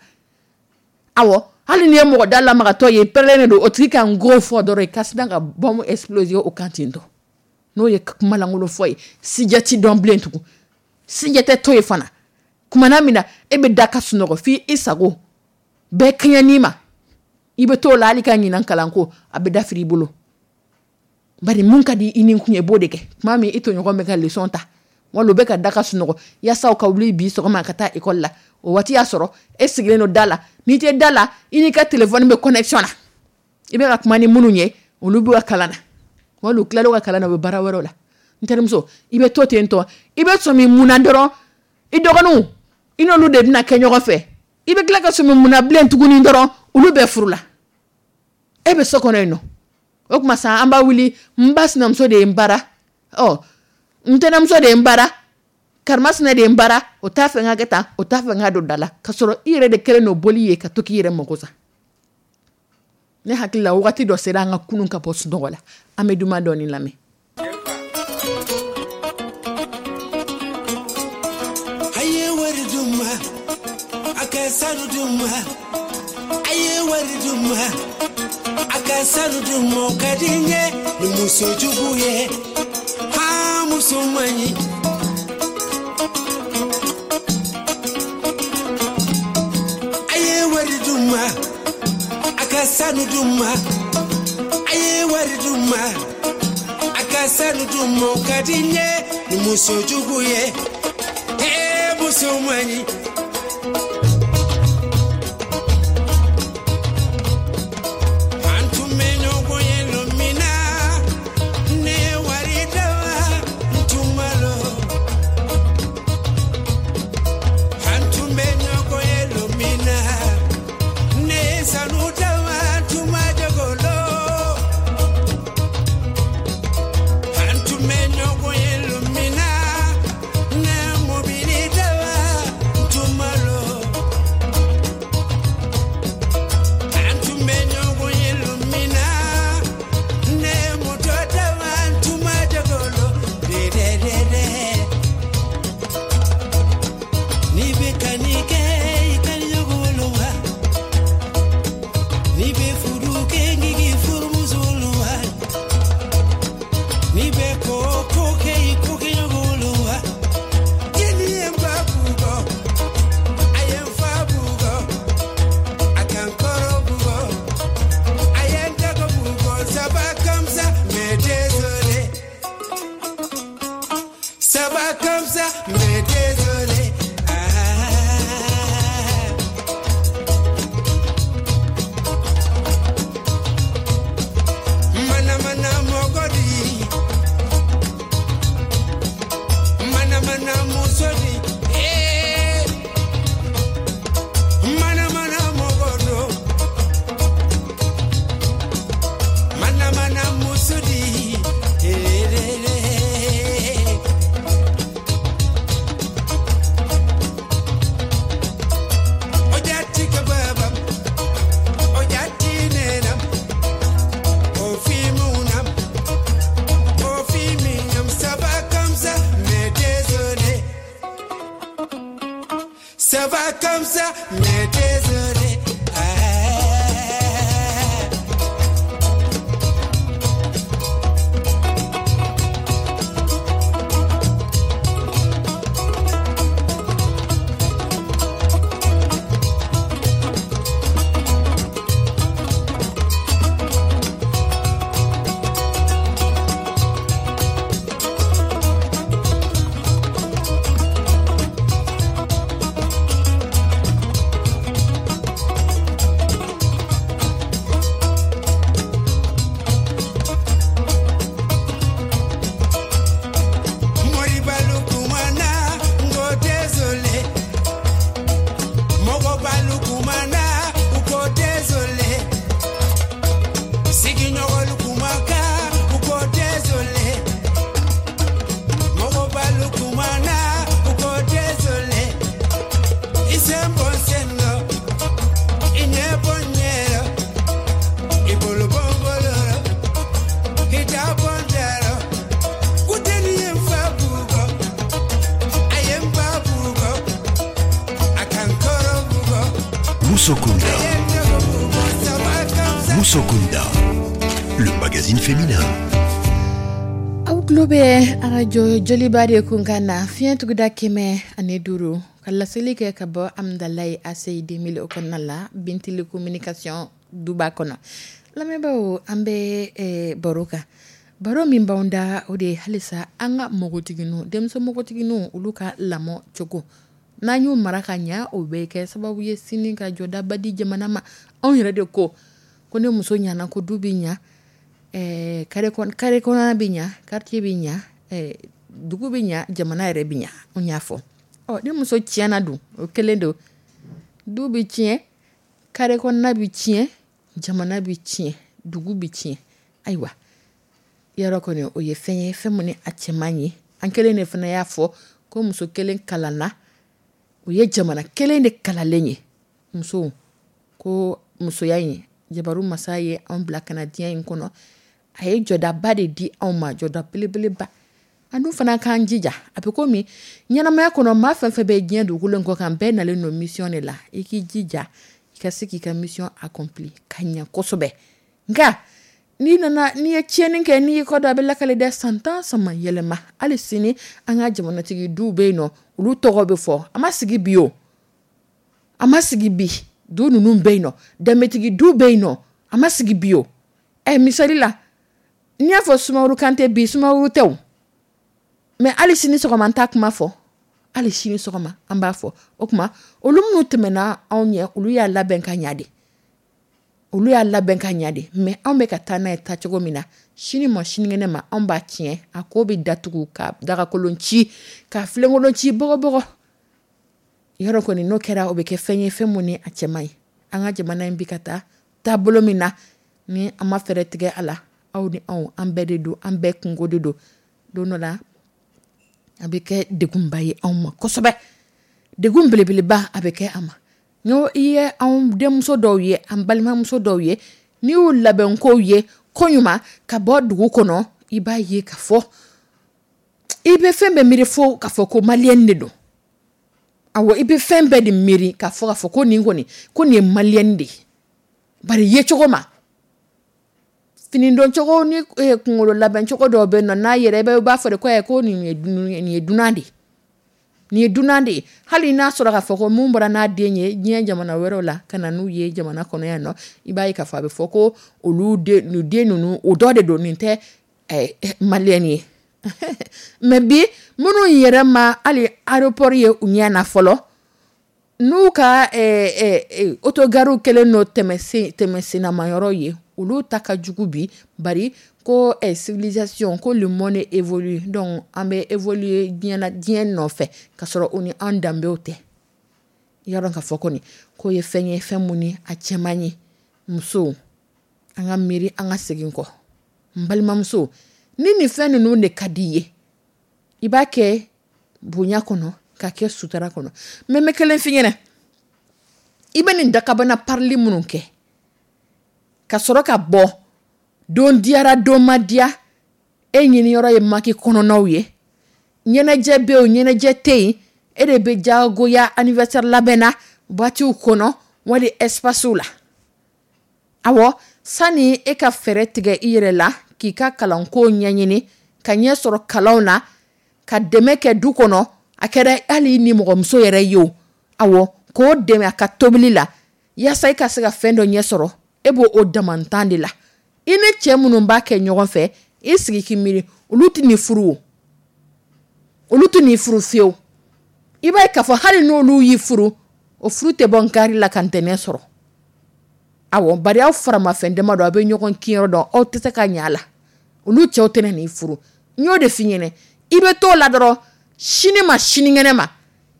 Awɔ, hali n'i ye mɔgɔ da lamagatɔ ye, pɛrɛnnen don, o tigi ka n go fɔ dɔrɔn, i ka sina ka bombe exploser o kan ten tɔ. N'o ye kuma lankolon fɔ ye, sijɛ ti dɔn bilen tugun, sijɛ tɛ to yen fana. Kumana min na e bɛ da ka sunɔgɔ f'i i sago bɛɛ kɛɲɛn'i ma, i bɛ t'o la hali ka ɲinan kalanko a bɛ dafiri i bolo, bari mun ka di i ni kun ye, i b'o de kɛ. Tuma min i tɔɲɔgɔn bɛ ka leçon ta, wala u bɛ ka da ka sunɔgɔ yaasa u ka wuli bi sɔgɔma ka taa école la, o waati y'a sɔrɔ e sigilen don da la. N'i tɛ da la, i n'i ka téléphone bɛ connexion na, i bɛ ka kuma ni minnu ye, olu b'u ka kalan na, wala u tilal'u ka kalan na, u bɛ baara wɛrɛw la. N terimuso, i bɛ to ten tɔ, i bɛ sɔmi mun na dɔrɔn, i dɔgɔninw, i n'olu de bɛna kɛ ɲɔgɔn fɛ. I bɛ tila ka sɔmi mun na bilen tuguni dɔrɔn, olu bɛɛ furu la, e bɛ so kɔnɔ yen nɔ. O tuma sa, an b'a wuli, n ba sinamuso de ye n bara, ɔ, n tɛnɛmuso de ye n bara, karimasina de ye n bara, o t'a fɛ n ka kɛ tan, o t'a fɛ n ka don da la, ka sɔrɔ i yɛrɛ de kɛlen don boli ye ka to k'i yɛrɛ mako sa. Ne hakili la, wagati dɔ sera an ka kunun ka bɔ sunɔgɔ la. An bɛ duman dɔɔni lamɛn. A ye wari d'u ma, a ka sanu d'u ma. A ye wari d'u ma, a ka sanu d'u ma. O ka di n ye ni muso jugu ye, ha, muso man ɲi. A ye wari d'u ma, a ka sanu d'u ma. A ye wari d'u ma, a ka sanu d'u ma. O ka di n ye ni muso jugu ye, ee, muso man ɲi. An tun bɛ ɲɔgɔn ye lon min na, ne ye wari d'a ma, n tun ma lɔn. An tun bɛ ɲɔgɔn ye lon min na, ne ye sanu d'a ma, n tun ma jago lɔn. An tun bɛ ɲɔgɔn ye lon min na, ne ye mobili d'a ma, n tun ma lɔn. Ça va comme ça, mais désolé. Ah. Musokunda. Musokunda, le magazine féminin. Aw tulo bɛ arajo Joliba de kunkan na fiɲɛ tuguda kɛmɛ ani duuru ka laseli kɛ ka bɔ Amudalayi A C I deux mille o kɔnɔna la Bintili communication duba kɔnɔ. Lamɛnbaaw, an bɛ eh, baro kan, baro min b'anw da o de ye halisa an ka npogotigininw, denmuso npogotigininw, olu ka lamɔ cogo n'an y'u mara ka ɲa, o bɛ kɛ sababu ye sini ka jɔdaba di jamana ma. Anw yɛrɛ de ko ko ne muso ɲana ko du bɛ ɲa, eh, carré kɔn-, carré kɔnɔna bɛ ɲa, quartier bɛ ɲa, eh, dugu bɛ ɲa, jamana yɛrɛ bɛ ɲa. Anw y'a fɔ. Ɔ, ni muso tiɲɛna dun, o kelen don, du bɛ tiɲɛ, carré kɔnɔna bɛ tiɲɛ, jamana bɛ tiɲɛ, dugu bɛ tiɲɛ. Ayiwa, yɔrɔ kɔni o ye fɛn ye, fɛn min ni a cɛ man ɲi. An kelen de fana y'a fɔ ko muso kelen kalanna, o ye jamana kelen de kalanlen ye. Musow ko musoya in, jabaru masa ye anw bila ka na diɲɛ in kɔnɔ, a ye jɔdaba de di anw ma, jɔda belebeleba. An dun fana k'an jija, a bɛ komi ɲɛnamaya kɔnɔ maa fɛn fɛn bɛ diɲɛ dugukolo in kɔ kan, bɛɛ nalen don mission de la. I k'i jija i ka se k'i ka mission accompli ka ɲɛ kosɛbɛ. Nka n'i nana, n'i ye tiɲɛni kɛ, n'i y'i kɔ don, a bɛ lakale dɛ. San tan sama yɛlɛma, hali sini an ka jamanatigi duw bɛ yen nɔ, olu tɔgɔ bɛ fɔ. A ma sigi bi o, a ma sigi bi, du ninnu bɛ yen nɔ, danbetigi du bɛ yen nɔ, a ma sigi bi o. Ɛ, misali la, n'i y'a fɔ Sumaworo Kante bi, Sumaworo tɛ o, mɛ hali sini sɔgɔma an t'a kuma fɔ, hali sini sɔgɔma an b'a fɔ. O tuma olu minnu tɛmɛna anw ɲɛ, olu y'a labɛn ka ɲa de, olu y'a labɛn ka ɲa de. Mɛ anw bɛ ka taa n'a ye taacogo min na, sini ma sinikɛnɛ ma anw b'a tiɲɛ, a ko bɛ datugu ka dagakolon ci, ka filenkolon ci bɔgɔbɔgɔ. Yɔrɔ kɔni n'o kɛra, o bɛ kɛ fɛn ye, fɛn mun ni a cɛ man ɲi. An ka jamana in bi ka taa taabolo min na, ni an ma fɛɛrɛ tigɛ a la, aw ni anw, an bɛɛ de don, an bɛɛ kungo de don. Don dɔ la a bɛ kɛ degunba ye anw ma kosɛbɛ, degun belebeleba a bɛ kɛ an ma. N'o i ye anw denmuso dɔw ye, an balimamuso dɔw ye, n'i y'u labɛnkow ye ko ɲuman ka bɔ dugu kɔnɔ, i b'a ye k'a fɔ i bɛ fɛn bɛɛ miiri fo k'a fɔ ko maliyɛn de don. Awɔ, i bɛ fɛn bɛɛ de miiri k'a fɔ k'a fɔ ko nin kɔni, ko nin ye maliyɛn de ye. Bari ye cogo ma, fini don cogo ni, eh, kunkolo labɛn cogo dɔw bɛ yen nɔ, n'a yɛrɛ i b'a fɔ de ko, eh, ko nin ye dun-, nin ye dunan de ye. Nin ye dunan de ye. Hali n'a sɔrɔ k'a fɔ ko mun bɔra n'a den ye diɲɛ jamana wɛrɛw la ka na n'u ye jamana kɔnɔ yan nɔ, i b'a ye k'a fɔ a bɛ fɔ ko olu den, nin den ninnu, o dɔ de don, nin tɛ, eh, maliyɛn ye. Mɛ bi minnu yɛrɛ ma hali aéroport ye u ɲɛ na fɔlɔ, n'u ka, eh, eh, eh, autogariw kɛlen don tɛmɛsen, tɛmɛsennamayɔrɔ ye, olu ta ka jugu bi. Bari ko, eh, civilisation, ko le monde évolue, donc an bɛ évoluer diɲɛ na, diɲɛ nɔfɛ, ka sɔrɔ o ni an danbew tɛ. Yɔrɔ k'a fɔ kɔni k'o ye fɛn ye, fɛn mun ni a cɛ man ɲi. Musow, an ka miiri, an ka segin kɔ. N balimamuso, ni nin fɛn ninnu de ka di i ye, i b'a kɛ bonya kɔnɔ, k'a kɛ sutura kɔnɔ. Mɛ n bɛ kelen f'i ɲɛna, i bɛ nin dakabana parili minnu kɛ ka sɔrɔ ka bɔ, don diyara don ma diya, e ɲiniyɔrɔ ye maki kɔnɔnaw ye, ɲɛnajɛ bɛ yen, ɲɛnajɛ tɛ yen, E de bɛ jagoya anniversaire labɛn na boîtew kɔnɔ wali espacew la. Awɔ, sani e ka fɛɛrɛ tigɛ i yɛrɛ la k'i ka kalanko ɲɛɲini, ka ɲɛ sɔrɔ kalanw na, ka dɛmɛ kɛ du kɔnɔ, a kɛra hali ni mɔgɔmuso yɛrɛ ye o, awɔ, k'o dɛmɛ a ka tobili la yaasa i ka se ka fɛn dɔ ɲɛ sɔrɔ, e b'o o damantan de la. I ni cɛ minnu b'a kɛ ɲɔgɔn fɛ, i sigi k'i miiri, olu tɛ n'i furu o, olu tɛ n'i furu fiyewu. I b'a ye k'a fɔ hali n'olu y'i furu, o furu tɛ bɔ nkari la ka ntɛnɛn sɔrɔ. Awɔ, bari aw faramafɛn dama dɔn, aw bɛ ɲɔgɔn kinyɔrɔ dɔn, aw tɛ se ka ɲɛ a la. Olu cɛw tɛna n'i furu. N y'o de f'i ɲɛna, i bɛ t'o la dɔrɔn, sini ma sinikɛnɛ ma,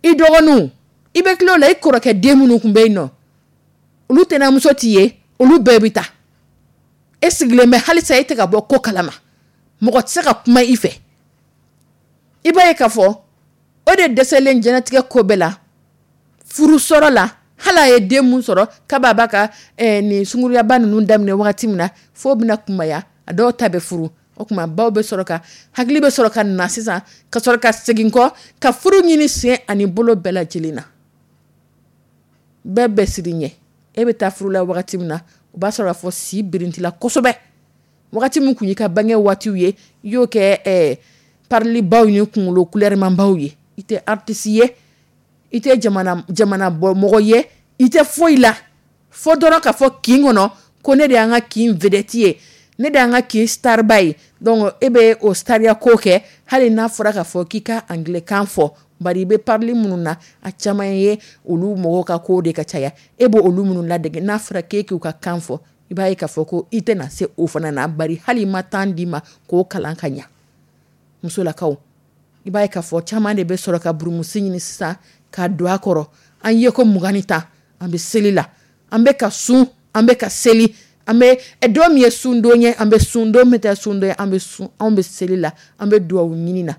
i dɔgɔninw, i bɛ tila o la, i kɔrɔkɛ den minnu tun bɛ yen nɔ, olu tɛnɛmuso t'i ye, olu bɛɛ bɛ taa. E sigilen bɛ halisa, e tɛ ka bɔ ko kalama, mɔgɔ tɛ se ka kuma i fɛ. I b'a ye k'a fɔ o de dɛsɛlen diɲɛlatigɛ ko bɛɛ la, furu sɔrɔ la, hali a ye den mun sɔrɔ k'a b'a ka eh, nin sunguruyaba ninnu daminɛ wagati min na, f'o bɛna kunbaya, a dɔw ta bɛ furu. O tuma baw bɛ sɔrɔ ka hakili bɛ sɔrɔ ka na sisan, ka sɔrɔ ka segin kɔ ka furu ɲini sen ani bolo bɛɛ lajɛlen na. Bɛɛ bɛ siri ɲɛ. E bɛ taa furu la wagati min na, o b'a sɔrɔ k'a fɔ si birintila kosɛbɛ. Wagati min kun y'i ka bange waatiw ye, i y'o kɛ eh, parilibaw ni kunkolo kulɛrimanbaw ye. I tɛ artiste ye, i tɛ jamana jamana bɔ mɔgɔ ye, i tɛ foyi la, fo dɔrɔn k'a fɔ kin kɔnɔ ko ne de y'an ka kin vedette ye, ne de y'an ka kin starba ye. Donc e bɛ o stariya ko kɛ, hali n'a fɔra k'a fɔ k'i ka anglais kan fɔ, bari i bɛ parili minnu na, a caman ye olu mɔgɔw ka ko de ka caya, e b'o olu minnu ladege, n'a fɔra k'e k'u ka kan fɔ, i b'a ye k'a fɔ ko i tɛna se o fana na, bari hali i ma temps d'i ma k'o kalan ka ɲa. Musolakaw, i b'a ye k'a fɔ caman de bɛ sɔrɔ ka burumusi ɲini sisan ka don a kɔrɔ. An ye ko mugan ni tan, an bɛ seli la, an bɛ ka sun, an bɛ ka seli, an bɛ don min ye sundon ye, an bɛ sun, don min tɛ sundon ye, an bɛ sun, anw bɛ seli la, an bɛ duwawu ɲini na.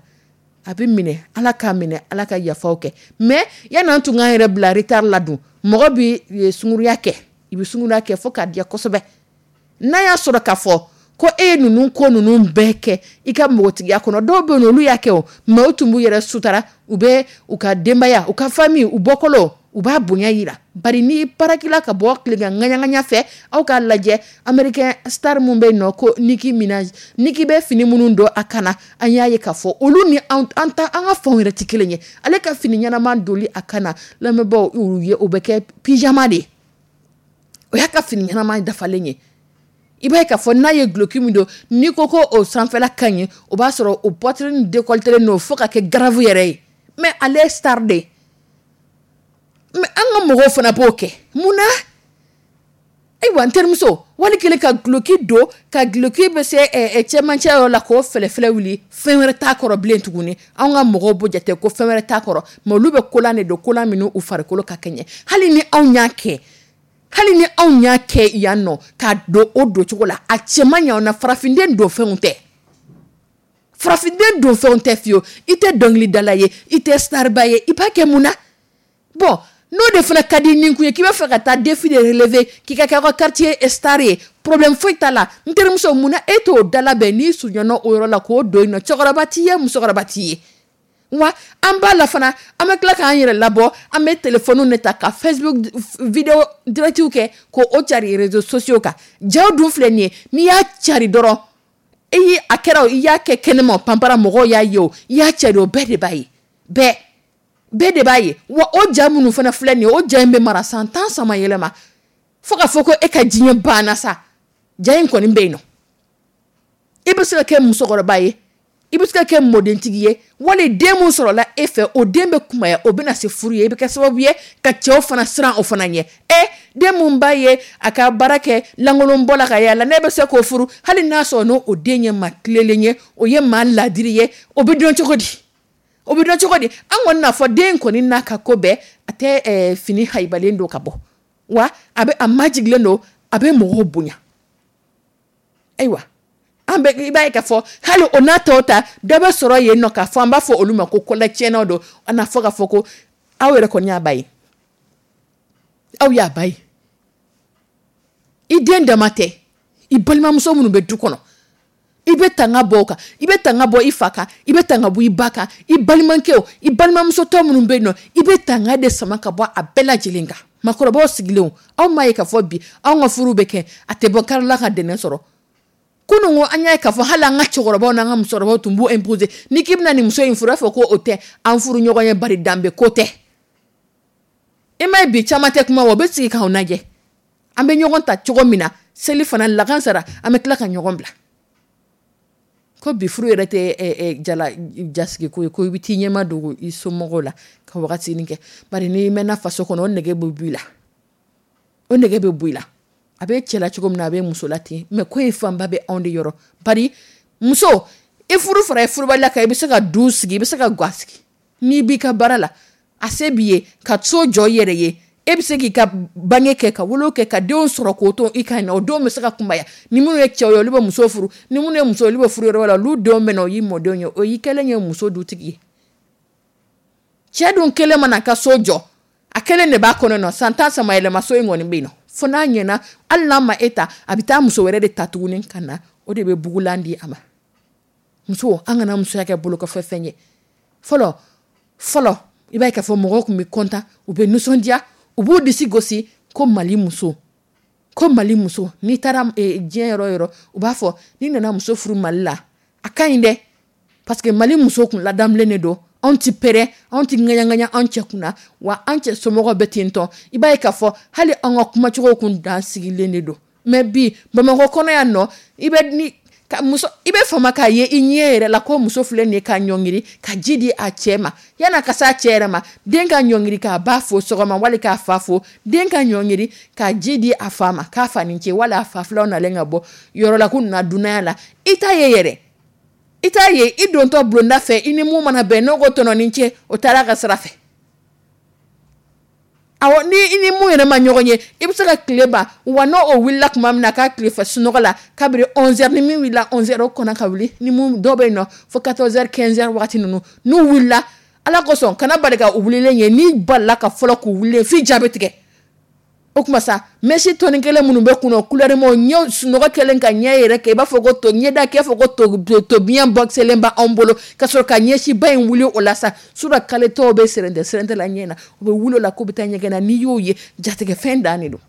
A bɛ minɛ, Ala k'a minɛ, Ala ka yafaw kɛ. Mais yanni an tun k'an yɛrɛ bila retard la dun, mɔgɔ bɛ sunguruya kɛ, i bɛ sunguruya kɛ fo k'a diya kosɛbɛ. N'a y'a sɔrɔ k'a fɔ ko e ye ninnu ko ninnu bɛɛ kɛ i ka npogotigiya kɔnɔ, dɔw bɛ yen olu y'a kɛ o, mais u tun b'u yɛrɛ sutara, u bɛ u ka denbaya, u ka famille, u bɔkolo, u b'a bonya yira. Bari n'i parakila ka bɔ tilegan ŋaɲaŋaɲa fɛ, aw k'a lajɛ américain star mun bɛ yen nɔ ko Nicki Minaj, Nicki bɛ fini minnu don a kan na, an y'a ye k'a fɔ olu ni an ta an ka fanw yɛrɛ tɛ kelen ye. Ale ka fini ɲɛnama doli a kan na, lamɛnbaaw ye, o bɛ kɛ pyjama de ye, o y'a ka fini ɲɛnama dafalen ye. I b'a ye k'a fɔ n'a ye duloki min don, n'i ko ko o sanfɛla ka ɲi, o b'a sɔrɔ o poitrine décolletée don fo ka kɛ grave yɛrɛ ye. Mais ale ye star de ye. Mais an ka mɔgɔw fana b'o kɛ mun na? Ayiwa, n terimuso, wali kelen ka duloki don, ka duloki bɛ se cɛmancɛ yɔrɔ la k'o fɛlɛfɛlɛ wuli, fɛn wɛrɛ t'a kɔrɔ bilen tuguni. Anw ka mɔgɔw b'o jate ko fɛn wɛrɛ t'a kɔrɔ, mais olu bɛ kolan de don, kolan minnu u farikolo ka kɛɲɛ. Hali ni anw y'a kɛ, hali ni anw y'a kɛ yan nɔ k'a don o doncogo la, a cɛ man ɲi anw na. Farafinden don fɛnw tɛ, farafinden don fɛnw tɛ fiyewu. I tɛ dɔnkilidala ye, i tɛ starba ye, i b'a kɛ mun na? Bon, n'o de fana ka di nin kun ye k'i b'a fɛ ka taa défi de relever, k'i ka kɛ aw ka quartier star ye, problème foyi t'a la. N terimuso, mun na e t'o dalabɛn n'i surunyana o yɔrɔ la k'o don yen nɔ? Cɛkɔrɔba t'i ye, musokɔrɔba t'i ye. Wa an b'a la fana, an bɛ tila k'an yɛrɛ labɔ, an bɛ téléphone de ta ka Facebook vidéo direct kɛ k'o cari réseaux sociaux kan. Jaw dun filɛ nin ye, n'i y'a cari dɔrɔn, i ye a kɛra o, i y'a kɛ kɛnɛma o, panpara mɔgɔw y'a ye o, i y'a cari o, bɛɛ de b'a ye, bɛɛ bɛɛ de b'a ye. Wa o ja minnu fana filɛ nin ye, o ja in bɛ mara san tan sama yɛlɛma, fo ka fɔ ko e ka diɲɛ banna sa, ja in kɔni bɛ yen nɔ. I bɛ se ka kɛ musokɔrɔba ye, i bɛ se ka kɛ mɔdentigi ye, wali den mun sɔrɔla e fɛ, o den bɛ kunbaya, o bɛna se furu ye, i bɛ kɛ sababu ye ka cɛw fana siran o fana ɲɛ. Ɛ, den mun b'a ye a ka baara kɛ lankolon bɔ la ka yaala, ne bɛ se k'o furu, hali n'a sɔrɔ n'o o den ye maa tilelen ye, o ye maa ladiri ye, o bɛ dɔn cogo di? O bɛ dɔn cogo di? An kɔni n'a fɔ den kɔni n'a ka ko bɛɛ, a tɛ eh, fini hayibalen don ka bɔ, wa a bɛ a majigilen don, a bɛ mɔgɔw bonya. Ayiwa, an bɛ i b'a ye k'a fɔ hali o n'a tɔw ta, dɔ bɛ sɔrɔ yen nɔ k'a fɔ an b'a fɔ olu ma ko kɔlɛtiɲɛnaw don, an n'a fɔ k'a fɔ ko aw yɛrɛ kɔni y'a ba ye, aw y'a ba ye. I den dama tɛ, i balimamuso minnu bɛ du kɔnɔ, i I bɛ tanga bɔ o kan, i bɛ tanga bɔ i fa kan, i bɛ tanga bɔ i ba kan, i balimakɛw, i balimamuso tɔ minnu bɛ yen nɔ, i bɛ tanga de sama ka bɔ a bɛɛ lajɛlen kan. Makɔrɔbaw sigilen, aw m'a ye k'a fɔ bi anw ka furu bɛ kɛ, a tɛ bɔ karila ka dɛnɛn sɔrɔ. Kunun ko an y'a ye k'a fɔ hali an ka cɛkɔrɔbaw n'an ka musokɔrɔbaw tun b'o imposer, n'i k'i bɛna nin muso in furu, a fɔ ko o tɛ an furu ɲɔgɔn ye, bari danbe ko tɛ. I m'a ye bi caman tɛ kuma wa, u bɛ sigi k'anw lajɛ, an bɛ ɲɔgɔn ta cogo min na, seli fana lakansara, an bɛ tila ka ɲɔgɔn bila. Ko bi furu yɛrɛ tɛ jala jasigi ko ye, ko i bɛ t'i ɲɛma dogo i somɔgɔw la ka wagati kɛ, bari n'i mɛnna faso kɔnɔ, o nege bɛ bɔ i la, o nege bɛ bɔ i la. A bɛ cɛ la cogo min na, a bɛ muso la ten, mais ko in fanba bɛ anw de yɔrɔ. Bari muso, i furu fara i furubaliya kan, i bɛ se ka du sigi, i bɛ se ka ga sigi, n'i b'i ka baara la, a se b'i ye ka so jɔ i yɛrɛ ye, e bɛ se k'i ka bange kɛ, ka wolo kɛ, ka denw sɔrɔ k'o to i kan na, o denw bɛ se ka kunbaya. Ni minnu ye cɛw ye, olu bɛ muso furu, ni minnu ye muso, olu bɛ furu yɔrɔ wɛrɛ la, olu denw bɛ na, o y'i mɔdenw ye, o y'i kɛlen ye muso dutigi ye. Cɛ dun kelen mana ka so jɔ, a kelen de b'a kɔnɔ nɔ, san tan sama yɛlɛma so in kɔni bɛ yen nɔ, fo n'a ɲɛna, hali n'a ma e ta, a bɛ taa muso wɛrɛ de ta tuguni ka na, o de bɛ bugulan di a ma. Muso, an kana musoya kɛ bolokɔfɛ fɛn ye. Fɔlɔ fɔlɔ, i b'a ye k'a fɔ mɔgɔw tun bɛ kɔntan, u bɛ nisɔndiya, u b'u disi gosi ko Mali muso, ko Mali muso. N'i taara diɲɛ yɔrɔ yɔrɔ, u b'a fɔ n'i nana muso furu Mali la, a ka ɲi dɛ, parce que Mali muso kun ladamulen de don, anw ti pɛrɛn, anw ti ŋaɲaŋaɲa anw cɛ kunna, wa an cɛ somɔgɔw bɛ ten tɔ. I b'a ye k'a fɔ hali an ka kumacogo kun dan sigilen de don. Mais bi Bamakɔ kɔnɔ yan nɔ, i bɛ ni ka muso, i bɛ fama k'a ye i ɲɛ yɛrɛ la ko muso filɛ nin ye ka ɲɔngiri ka ji di a cɛ ma, yan'a ka s'a cɛ yɛrɛ ma, den ka ɲɔngiri k'a ba fo sɔgɔma wali k'a fa fo, den ka ɲɔngiri ka ji di a fa ma k'a fa ni ce, wala a fa filaw nalen ka bɔ yɔrɔ la k'u nana dunanya la, i t'a ye yɛrɛ, i t'a ye i dontɔ bulonda fɛ, i ni mun mana bɛn, n'o ko tɔnɔ ni ce, o taara ka sira fɛ. Awɔ, ni i ni mun yɛrɛ ma ɲɔgɔn ye, i bɛ se ka tile ban, wa n'o o wulila tuma min na k'a tile fɛ sunɔgɔ la, kabini onze heures, ni min wulila onze heures o kɔnna ka wuli, ni mun dɔw bɛ yen nɔ fo quatorze heures quinze heures waati ninnu, n'u wulila, Ala kosɔn kana bali ka u wulilen ye, n'i balila ka fɔlɔ k'u wulilen f'i ja bɛ tigɛ. O tuma sa mɛsi tɔni kelen minnu bɛ kun na, couleur ma, ɲɛ sunɔgɔ kɛlen ka ɲɛ yɛrɛ kɛ, i b'a fɔ ko to ɲɛda kɛ, fɔ ko to to biɲɛ bɔkisɛlen b'anw bolo, ka sɔrɔ ka ɲɛsiba in wuli o la sa, sura kale tɔw bɛ sɛrɛntɛ sɛrɛntɛ la ɲɛ na, u bɛ wuli o la k'u bɛ taa ɲɛgɛn na, n'i y'o ye jatigɛ fɛn dan de don.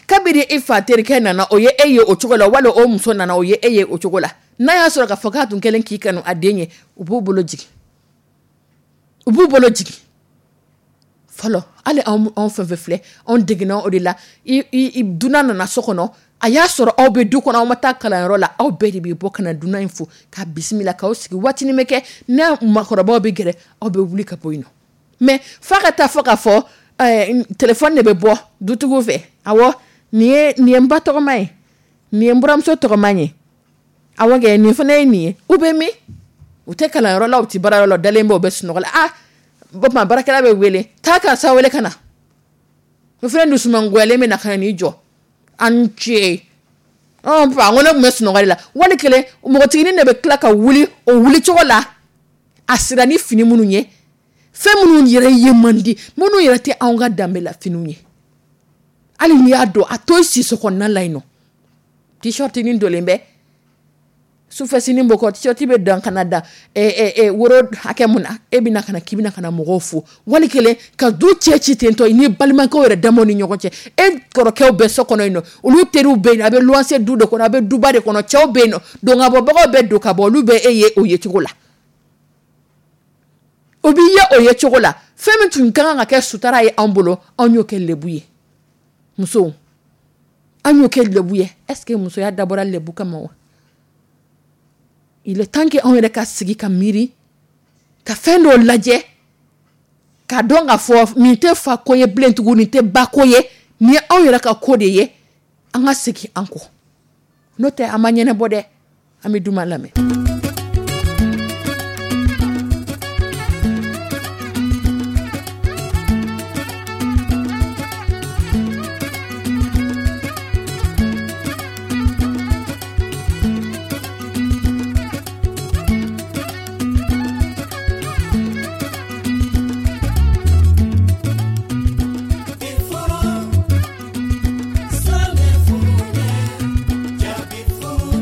Kabini i fa terikɛ nana, o ye e ye o cogo la, wali o muso nana, o ye e ye o cogo la, n'a y'a sɔrɔ k'a fɔ k'a tun kɛlen k'i kanu a den ye, u b'u bolo jigin, u b'u bolo jigin. Fɔlɔ hali anw anw fɛn fɛn filɛ, anw degena o de la. I i dunan nana so kɔnɔ, a y'a sɔrɔ aw bɛ du kɔnɔ, aw ma taa kalanyɔrɔ la, aw bɛɛ de bɛ bɔ ka na dunan in fo ka bisimila k'aw sigi. Waatinin bɛ kɛ n'a makɔrɔbaw bɛ gɛrɛ, aw bɛ wuli ka bɔ yen nɔ. Mais f'a ka taa fɔ k'a fɔ ɛɛ telefɔni de bɛ bɔ dutigiw fɛ. Awɔ, nin ye nin ye n ba tɔgɔma ye, nin ye n buramuso tɔgɔma ye, awɔ kɛ nin fana ye nin ye. U bɛ min? U tɛ kalanyɔrɔ la, u tɛ baarayɔrɔ la, u dalen bɛ, u bɛ sunɔgɔ la. Ah, o tuma baarakɛla bɛ wele, taa karisa wele ka na. O fana dusumangoyalen bɛ na ka na n'i jɔ, a ni ce, ɔn fa, n ko ne tun bɛ sunɔgɔ de la. Wali kelen npogotiginin de bɛ tila ka wuli o wuli cogo la, a sira ni fini minnu ye, fɛn minnu yɛrɛ ye man di, minnu yɛrɛ tɛ anw ka danbe la finiw ye, hali n'i y'a don a to i siso kɔnɔna la yen nɔ, t-shirt nin donlen bɛ sufɛ sini bɔ kɔ, t-shirt bɛ dan ka na dan woro hakɛ mun na, e bɛna ka na k'i bɛna ka na mɔgɔw fo, wali kelen ka du cɛ ci ten tɔ, i ni balimakɛw yɛrɛ damaw ni ɲɔgɔn cɛ, e kɔrɔkɛw bɛ so kɔnɔ yen nɔ, olu teriw bɛ yen, a bɛ luwanse du de kɔnɔ, a bɛ duba de kɔnɔ, cɛw bɛ yen nɔ, don ka bɔbagaw bɛ don ka bɔ, olu bɛ e ye o ye cogo la, o b'i ye o ye cogo la. Fɛn min tun ka kan ka kɛ sutara ye anw bolo, anw y'o kɛ lebu ye. Musow, an y'o kɛ lebu ye. Est-ce que musoya dabɔra lebu kama wa? Il est temps que anw yɛrɛ ka sigi ka miiri, ka fɛn dɔw lajɛ, k'a dɔn k'a fɔ nin tɛ fa ko ye bilen tugun, nin tɛ ba ko ye, nin ye anw yɛrɛ ka ko de ye, an ka segin an kɔ, n'o tɛ an ma ɲɛnabɔ dɛ. An bɛ duman lamɛn. Furu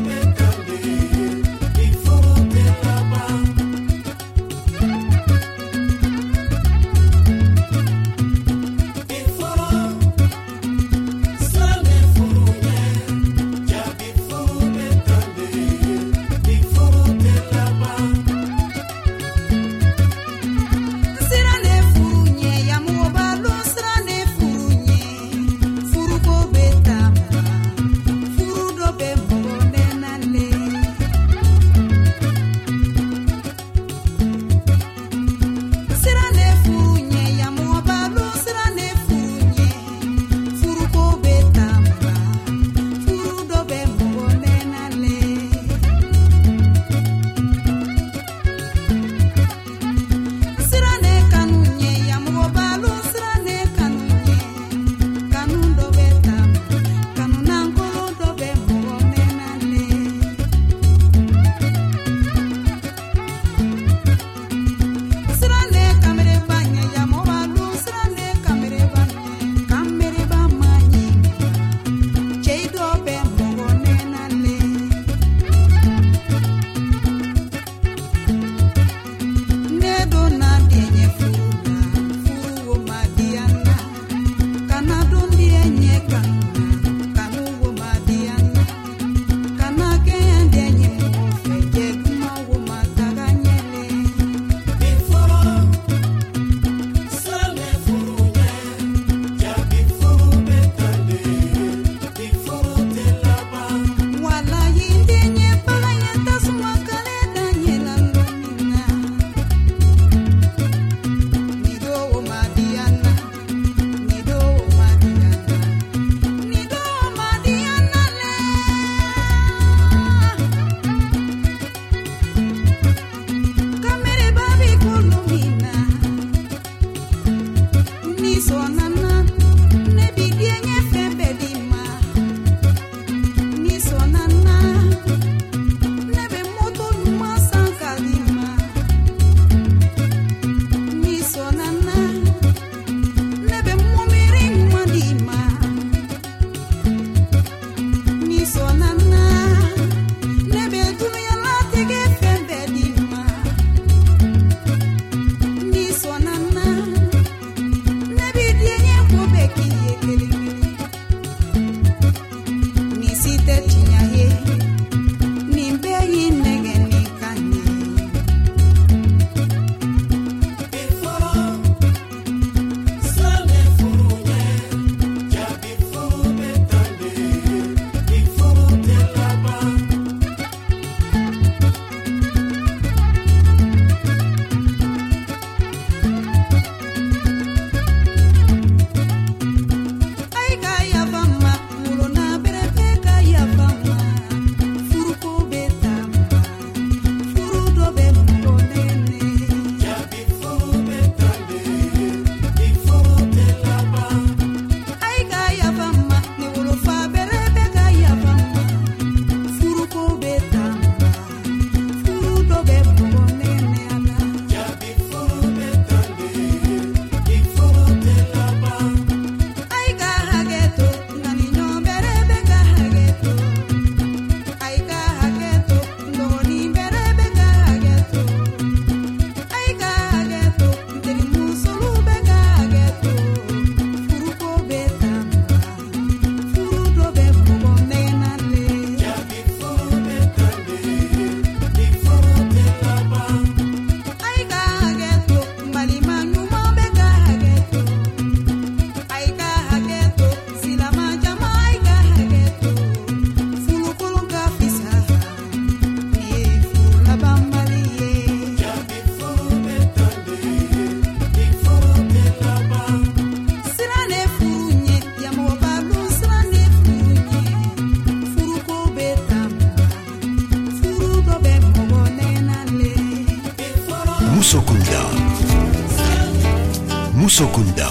Musokunda,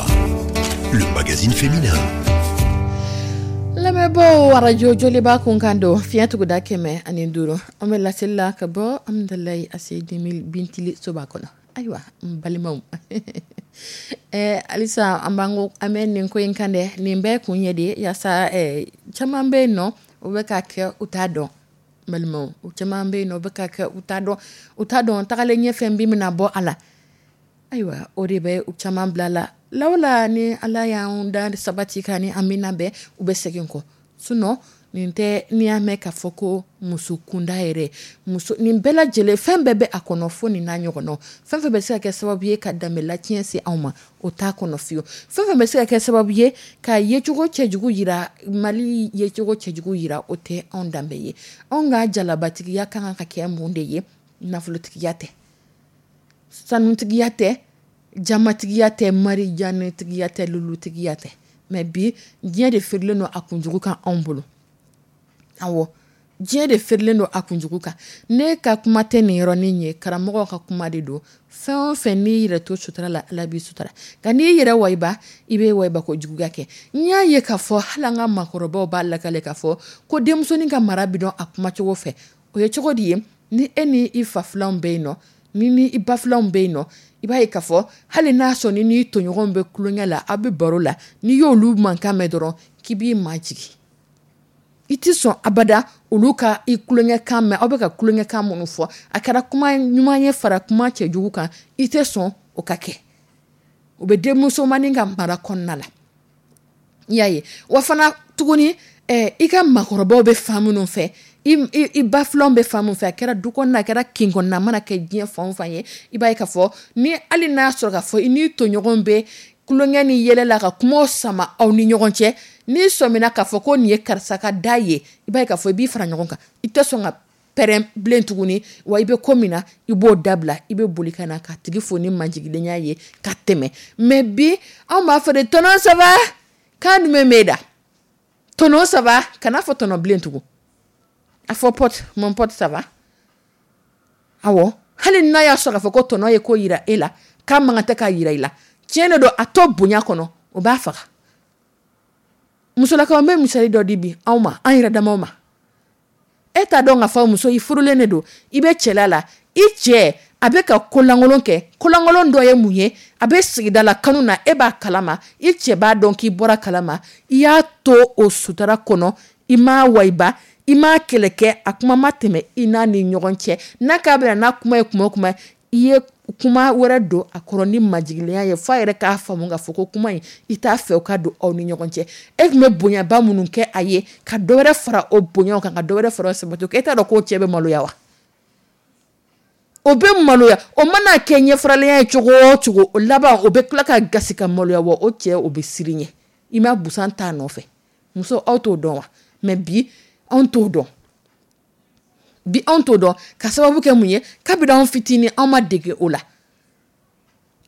le magazine féminin. Lamɛnbaaw, arajo Joliba kunkan don, fiɲɛ tuguda kɛmɛ ani duuru. An bɛ laseli la ka bɔ Amidalayi A C Bintili soba kɔnɔ. Ayiwa, n balimaw, ɛɛ halisa an b'an ko an bɛ nin ko in kan dɛ. Nin bɛɛ kun ye de yaasa ɛɛ caman bɛ yen nɔ, u bɛ ka kɛ, u t'a dɔn. N balimaw, u caman bɛ yen nɔ, u bɛ ka kɛ, u t'a dɔn, u t'a dɔn tagalen ɲɛfɛ bin bɛna bɔ a la. Ayiwa, o de bɛ u caman bila la lawala. Ni Ala y'an da sabati kan ni an bɛna bɛn, u bɛ segin kɔ. Sinon nin tɛ. N'i y'a mɛn k'a fɔ ko muso kunda yɛrɛ, muso nin bɛɛ lajɛlen, fɛn bɛɛ bɛ a kɔnɔ, fo nin n'a ɲɔgɔnnaw. Fɛn fɛn bɛ se ka kɛ sababu ye ka danbe latiɲɛ se anw ma, o t'a kɔnɔ fiyewu. Fɛn fɛn bɛ se ka kɛ sababu ye ka yecogo cɛjugu yira, Mali yecogo cɛjugu yira, o tɛ anw danbe ye. Anw ka jalabatigiya ka kan ka kɛ mun de ye? Nafolotigiya tɛ, sanutigiya tɛ, jamatigiya tɛ, marijanetigiya tɛ, lulutigiya tɛ. Mais bi, diɲɛ de feerelen don a kunjugu kan anw bolo. Awɔ, diɲɛ de feerelen don a kunjugu kan. Ne ka kuma tɛ nin yɔrɔnin ye, karamɔgɔw ka kuma de don. Fɛn o fɛn n'i yɛrɛ to sutura la, Ala b'i sutura. Nka n'i yɛrɛ wayiba, i bɛ wayiba ko juguya kɛ. N y'a ye k'a fɔ hali an ka maakɔrɔbaw b'a lakale k'a fɔ ko denmusonin ka mara bɛ dɔn a kumacogo fɛ. O ye cogo di ye? Ni e ni i fa filanw bɛ yen nɔ, ni ni i ba filanw bɛ yen nɔ, i b'a ye k'a fɔ hali n'a sɔrɔ ni n'i tɔɲɔgɔnw bɛ tulonkɛ la, aw bɛ baro la, n'i y'olu mankan mɛn dɔrɔn, k'i b'i majigin, i tɛ sɔn abada olu ka i tulonkɛkan mɛn. Aw bɛ ka tulonkɛkan minnu fɔ, a kɛra kuma ɲuman ye fara kuma cɛjugu kan, i tɛ sɔn o ka kɛ. O bɛ denmusomanin ka mara kɔnɔna la. I y'a ye wa fana tuguni, eh, i ka maakɔrɔbaw bɛ fan minnu fɛ, i, i, i ba filanw bɛ fan min fɛ, a kɛra du kɔnɔna, a kɛra kin kɔnɔna, a mana kɛ diɲɛ fan o fan ye, i b'a ye k'a fɔ ni hali n'a sɔrɔ k'a fɔ i n'i tɔɲɔgɔn bɛ tulonkɛ ni yɛlɛ la ka kumaw sama aw ni ɲɔgɔn cɛ, n'i sɔmina k'a fɔ ko nin ye karisa ka da ye, i b'a ye k'a fɔ i b'i fara ɲɔgɔn kan, i tɛ sɔn ka pɛrɛn bilen tuguni. Wa i bɛ ko min na, i b'o dabila, i bɛ boli ka na ka tigi fo ni majigilenya ye ka tɛmɛ. Mais bi, anw b'a fɔ de: "Tonton, ça va?" Kan jumɛn b'e da? "Tonton, ça va?" Kana fɔ tɔnɔ bilen tugun, a fɔ: "Pote, mon pote, ça va?" Awɔ, hali n'a y'a sɔrɔ k'a fɔ ko tɔnɔ ye ko yira e la k'a man kan tɛ k'a yira i la, tiɲɛ de don, a to bonya kɔnɔ, o b'a faga. Musolakaw, n bɛ misali dɔ di bi anw ma, an yɛrɛ damaw ma. E t'a dɔn k'a fɔ muso, i furulen de don, i bɛ cɛla la, i cɛ a bɛ ka kolankolon kɛ. Kolankolon dɔ ye mun ye? A bɛ sigida la kanu na, e b'a kalama, i cɛ b'a dɔn k'i bɔra kalama. I y'a to o sutara kɔnɔ, i m'a wayiba, i m'a kɛlɛ kɛ, a kuma ma tɛmɛ i n'a ni ɲɔgɔn cɛ. N'a k'a bɛna n'a kuma ye kuma o kuma, i ye kuma wɛrɛ don a kɔrɔ ni majigilenya ye, f'a yɛrɛ k'a faamu k'a fɔ ko kuma in, i t'a fɛ o ka don aw ni ɲɔgɔn cɛ. E tun bɛ bonyaba minnu kɛ a ye, ka dɔ wɛrɛ fara o bonyaw kan, ka dɔ wɛrɛ fara o sabati kan, e t'a dɔn k'o cɛ bɛ maloya wa? O bɛ maloya. O mana kɛ ɲɛfaralenya ye cogo o cogo, o laban o bɛ tila ka gasi ka maloya. Wa o cɛ, o bɛ siran ɲɛ, i ma busan t'a nɔfɛ. Muso, aw t'o dɔn wa? Mais bi, anw t'o dɔn. Bi, anw t'o dɔn ka sababu kɛ mun ye? Kabini anw fitinin, anw ma dege o la,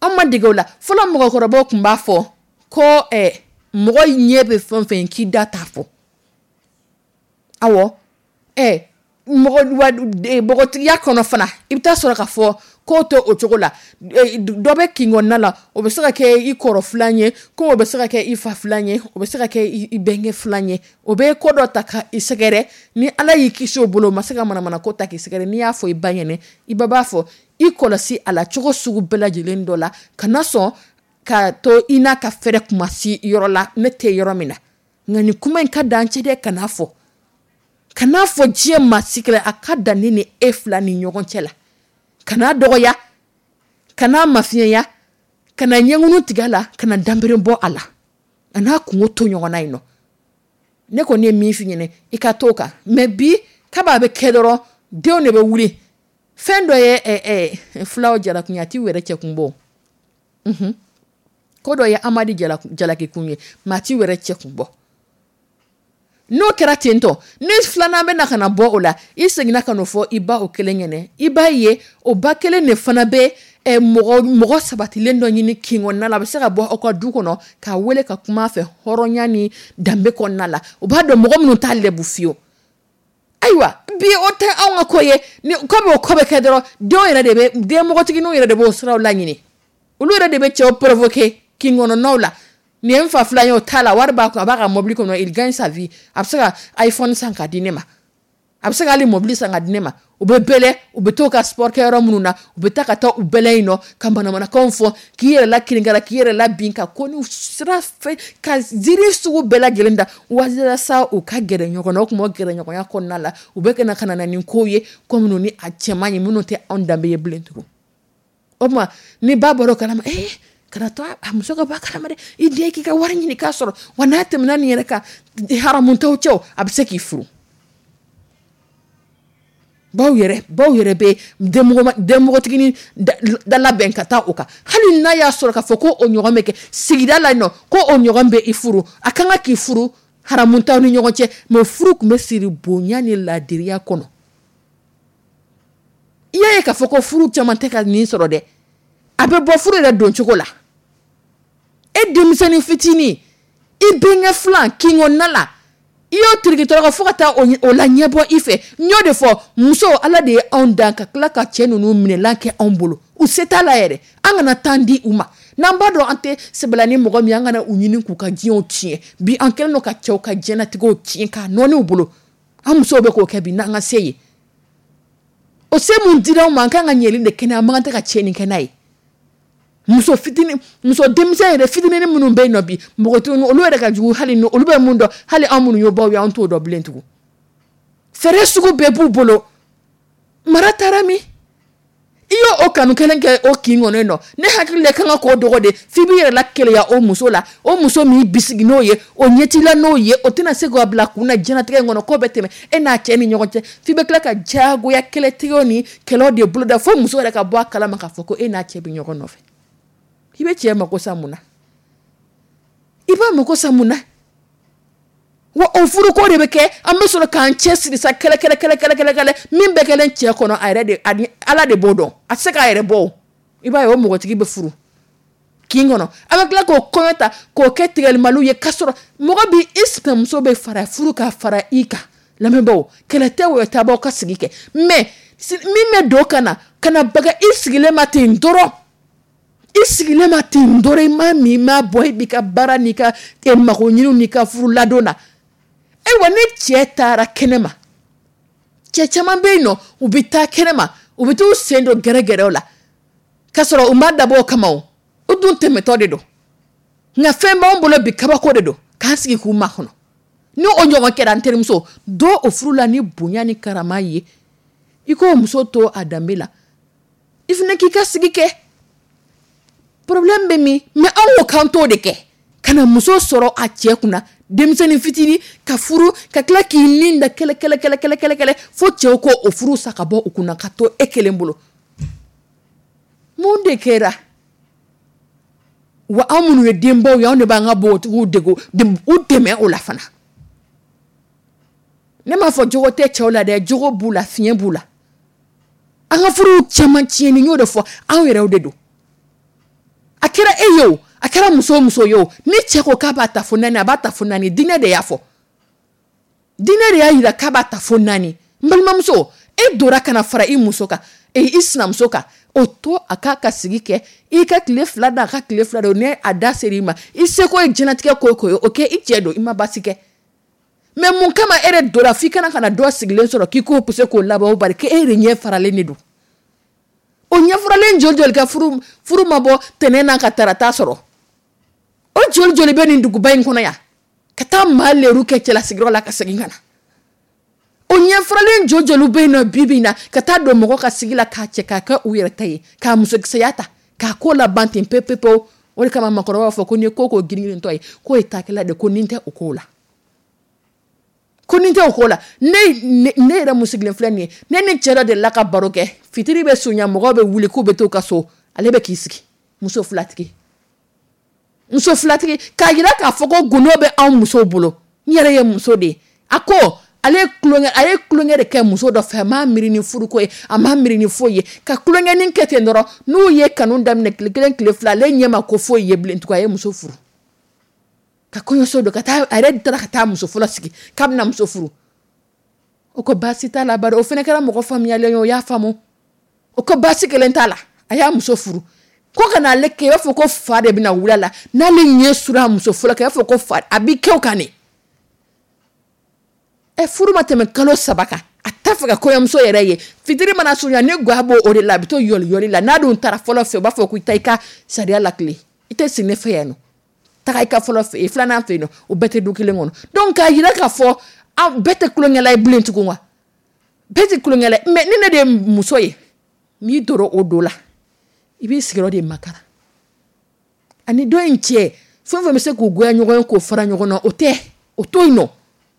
anw ma dege o la. Fɔlɔ, mɔgɔkɔrɔbaw tun b'a fɔ ko ɛ mɔgɔ ɲɛ bɛ fɛn o fɛn ye, k'i da t'a fɔ. Awɔ, ɛ mɔgɔ wa npogotigiya kɔnɔ fana, i bɛ taa sɔrɔ k'a fɔ k'o tɛ o cogo la. Dɔ bɛ kin kɔnɔna la, o bɛ se ka kɛ i kɔrɔ filan ye, ko o bɛ se ka kɛ i fa filan ye, o bɛ se ka kɛ i bɛnkɛ filan ye. O bɛ ko dɔ ta ka i sɛgɛrɛ. Ni Ala y'i kisi o bolo, o ma se ka manamana ko ta k'i sɛgɛrɛ, n'i y'a fɔ i ba ɲɛnɛ, i ba b'a fɔ i kɔlɔsi a la cogo sugu bɛɛ lajɛlen dɔ la, kana sɔn ka to i n'a ka fɛrɛ kuma si yɔrɔ la ne tɛ yɔrɔ min na. Nka nin kuma in ka dan cɛ dɛ, kan'a fɔ, kan'a fɔ diɲɛ maa si kɛlɛ. A ka dan ne ni e fila ni ɲɔgɔn cɛ la. Kana dɔgɔya, kana mafiɲɛya, kana ɲɛŋunu tigɛ a la, kana danbere bɔ a la, a n'a kungo to ɲɔgɔn na yen nɔ. Ne kɔni ye min f'i ɲɛnɛ, i ka t'o kan. Mais bi, kaba bɛ kɛ dɔrɔn, denw de bɛ wuli. Fɛn dɔ ye ɛ ɛ filaw jalakunya, a t'i yɛrɛ cɛkun bɔ. Ko dɔ ye Amadi jalakikun ye, maa t'i yɛrɛ cɛkun bɔ. N'o kɛra ten tɔ, ni filanan bɛ na ka na bɔ o la, i seginna ka n'o fɔ i ba o kelen ɲɛnɛ, i b'a ye o ba kelen de fana bɛ ɛ mɔgɔ mɔgɔ sabatilen dɔ ɲini kin kɔnɔna la, a bɛ se ka bɔ aw ka du kɔnɔ, k'a wele ka kuma a fɛ hɔrɔnya ni danbe kɔnɔna la. O b'a dɔn mɔgɔ minnu t'a lɛbu fiyewu. Ayiwa, bi o tɛ anw ka ko ye. Ni komi o ko bɛ kɛ dɔrɔn, denw yɛrɛ de bɛ, den npogotigininw yɛrɛ de b'o siraw laɲini, olu yɛrɛ de bɛ cɛw provoquer. kin kɔnɔnaw la. Nin ye n fa filan ye, o t'a la, wari b'a kun, a b'a ka mobili kɔnɔ, il gagne sa vie, a bɛ se ka iPhone san ka di ne ma, a bɛ se k'ale mobili san ka di ne ma. U bɛ bɛlɛ, u bɛ t'u ka sport kɛyɔrɔ minnu na, u bɛ taa ka taa u bɛlɛ yen nɔ ka manamanakanw fɔ, k'i yɛrɛ la kirinkara, k'i yɛrɛ la bin, ka ko n'u sira fɛ, ka ziiri sugu bɛɛ lajɛlen da walasa u ka gɛrɛ ɲɔgɔn na. O tuma o gɛrɛ ɲɔgɔnya kɔnɔna la, u bɛ ka na ka na ni kow ye, ko minnu ni a cɛ man ɲi, minnu tɛ anw danbe ye bilen tugun. O tuma ni ba bɔra o kalama, ee, kana to a muso ka bɔ a kalama dɛ, i den k'i ka wari ɲini k'a sɔrɔ wa. N'a tɛmɛna nin yɛrɛ kan, haramu t'aw cɛ, a bɛ se k'i furu. Baw yɛrɛ baw yɛrɛ bɛ denmɔgɔtiginin da labɛn ka taa o kan. Hali n'a y'a sɔrɔ k'a fɔ ko o ɲɔgɔn bɛ kɛ sigida la yen nɔ, ko o ɲɔgɔn bɛ i furu, a kan ka k'i furu, haramu t'aw ni ɲɔgɔn cɛ, mais furu tun bɛ siri bonya ni laadiriya kɔnɔ. I y'a ye k'a fɔ ko furu caman tɛ ka nin sɔrɔ dɛ, a bɛ bɔ furu yɛrɛ don cogo la. E denmisɛnnin fitinin, i denkɛ filan kin kɔnɔna la, i y'o tiriki tɔrɔkɔ fo ka taa o la ɲɛbɔ i fɛ. N y'o de fɔ, muso, Ala de ye anw dan ka tila ka cɛ ninnu minɛlan kɛ anw bolo. U se t'a la yɛrɛ, an kana tan di u ma. N'an b'a dɔn an tɛ sɛbɛla ni mɔgɔ min, an kana u ɲini k'u ka diɲɛw tiɲɛ. Bi an kɛlen don ka cɛw ka diɲɛnatigɛw tiɲɛ k'a nɔɔni u bolo. An musow bɛ k'o kɛ bi n'an ka se ye. O se mun dira anw ma, an kan ka ɲɛli de kɛ n'a ye, an man kan tɛ ka tiɲɛni kɛ n'a ye. Muso fitinin, muso denmisɛn yɛrɛ fitinin minnu bɛ yen nɔ bi, npogotiginin, olu yɛrɛ ka jugu hali ni olu bɛ mun dɔn, hali anw minnu ye baw ye, an t'o dɔn bilen tugun. Fɛɛrɛ sugu bɛɛ b'u bolo. Mara taara min, i y'o o kanu kelen kɛ o kin kɔnɔ yen nɔ, ne hakili la kan ka k'o dɔgɔ de f'i b'i yɛrɛ la keleya o muso la. O muso min bisigi n'o ye, o ɲɛtila n'o ye, o tɛna se k'o bila kun na diɲɛlatigɛ in kɔnɔ, k'o bɛ tɛmɛ e n'a cɛ ni ɲɔgɔn cɛ. F'i bɛ tila ka diyagoya kɛlɛtigɛw ni kɛlɛw de boloda fo muso yɛrɛ ka bɔ a kalama k'a fɔ ko e n'a cɛ bɛ ɲɔgɔn nɔfɛ. I bɛ cɛ mako sa mun na? I b'a mako sa mun na? Wa o furuko de bɛ kɛ, an bɛ sɔrɔ k'an cɛ siri sa, kɛlɛ kɛlɛ kɛlɛ kɛlɛ kɛlɛ kɛlɛ min bɛ kɛlen cɛ kɔnɔ, a yɛrɛ de ani Ala de b'o dɔn, a tɛ se k'a yɛrɛ bɔ. O i b'a ye, o mɔgɔtigi bɛ furu kin kɔnɔ, an bɛ tila k'o kɔɲɔ ta k'o kɛ tigɛlimaliw ye, k'a sɔrɔ mɔgɔ bi i sinamuso bɛ fara furu ka fara i kan. Lamɛnbaaw, kɛlɛ tɛ o tɛ, b'aw ka sigi kɛ, mais min bɛ don ka na ka na baga i sigilen ma ten dɔrɔn, i sigilen ma ten dɔrɔn, i ma min, i ma bɔ, i b'i ka baara n'i ka mago ɲiniw n'i ka furu ladon na. Ayiwa, ni cɛ taara kɛnɛ ma, cɛ caman bɛ yen nɔ, u bɛ taa kɛnɛ ma, u bɛ t'u sen don gɛrɛgɛrɛw la, k'a sɔrɔ u ma dabɔ o kama, o u dun tɛmɛtɔ de don. Nka fɛn b'anw bolo bi, kabako de don k'an sigi k'u makɔnɔ. Ni o ɲɔgɔn kɛra, n terimuso, don o furu la ni bonya ni karama ye, i k'o muso to a danbe la, i fana k'i ka sigi kɛ. Problème bɛ min? Mais anw ko k'an t'o de kɛ, ka na muso sɔrɔ a cɛ kunna, denmisɛnnin fitinin ka furu, ka tila k'i nin da kɛlɛ kɛlɛ kɛlɛ kɛlɛ kɛlɛ kɛlɛ fo cɛw ko o furu sa ka bɔ u kunna ka to e kelen bolo. Mun de kɛra? Wa anw minnu ye denbaw ye, anw de b'an ka npogotigiw degu, u dɛmɛ o la fana. Ne m'a fɔ jogo tɛ cɛw la dɛ, jogo b'u la, fiɲɛ b'u la. An ka furuw caman tiɲɛni, n y'o de fɔ, anw yɛrɛw de don. A kɛra e ye o, a kɛra muso o muso ye o, ni cɛ ko k'a b'a ta fo naani, a b'a ta fo naani. Diinɛ de y'a fɔ, diinɛ de y'a yira k'a b'a ta fo naani. N balimamuso, e donna ka na fara i muso kan, i sinamuso kan, o to a k'a ka sigi kɛ, i ka tile fila da, a ka tile fila da. Ni a da ser'i ma, i seko ye diɲɛlatigɛ ko o ko ye, o kɛ i cɛ don, i ma baasi kɛ. Mais mun kama e yɛrɛ donna f'i kana ka na dɔ sigilen sɔrɔ k'i k'o poussé k'o labɔ? O bari k'e yɛrɛ ɲɛ faralen de don. O ɲɛfaralen joli joli ka furu furu ma bɔ tɛnɛn n'a ka tarata sɔrɔ? O joli joli bɛ nin duguba in kɔnɔ yan ka taa maa leru kɛ cɛlasigiyɔrɔ la ka segin ka na? O ɲɛfaralen joli joli bɛ yen nɔ bi bi in na ka taa don mɔgɔ ka sigi la k'a cɛ k'a kɛ u yɛrɛ ta ye, k'a musokisɛya ta k'a ko laban ten pewu pewu pewu? O de kama maakɔrɔba b'a fɔ ko n'i ye ko ko girin-girintɔ ye, k'o ye taakɛla de, ko nin tɛ o ko la, ko nin tɛ o ko la. Ne ne yɛrɛ mun sigilen filɛ nin ye, ne ni cɛ dɔ delila ka baro kɛ. Fitiri bɛ surunya, mɔgɔw bɛ wuli k'u bɛ t'u ka so, ale bɛ k'i sigi, muso filatigi, muso filatigi, k'a yira k'a fɔ ko gundo bɛ anw musow bolo. N yɛrɛ ye muso de ye. A ko ale ye tulonkɛ, a ye tulonkɛ de kɛ muso dɔ fɛ, a m'a miiri ni furuko ye, a m'a miiri ni foyi ye, ka tulonkɛnin kɛ ten dɔrɔn. N'u ye kanu daminɛ tile kelen, tile fila, ale ɲɛ ma ko foyi ye bilen tugun. A ye muso furu ka kɔɲɔso don ka taa, a yɛrɛ taara ka taa muso fɔlɔ sigi k'a bɛna muso furu. O ko baasi t'a la, bari o fana kɛra mɔgɔ faamuyalen ye, o y'a faamu. O ko baasi kelen t'a la, a y'a muso furu. Ko ka n'ale kɛ i b'a fɔ ko fa de bɛna wuli a la, n'ale ɲɛ sura muso fɔlɔ kan, i b'a fɔ ko fa a b'i kɛ o kan de. Ɛ, furu ma tɛmɛ kalo saba kan, a t'a fɛ ka kɔɲɔmuso yɛrɛ ye. Fitiri mana surunya, ni ga b'o o de la, a bɛ to yɔli yɔli la. N'a dun taara fɔlɔ fɛ, u b'a fɔ ko i taa i ka sariya lakile, i tɛ sigi ne fɛ yan nɔ, taga i ka fɔlɔ fɛ filanan fɛ yen nɔ. O bɛɛ tɛ du kelen kɔnɔ. Donc k'a yira k'a fɔ an bɛɛ tɛ tulonkɛla ye bilen tugun wa, bɛɛ tɛ tulonkɛla ye. Mais ni ne de ye muso ye, n'i donna o do la, i b'i sigiyɔrɔ de makara ani dɔ in cɛ. Fɛn fɛn bɛ se k'u goya ɲɔgɔn ye, k'o fara ɲɔgɔn na, o tɛ o to yen nɔ,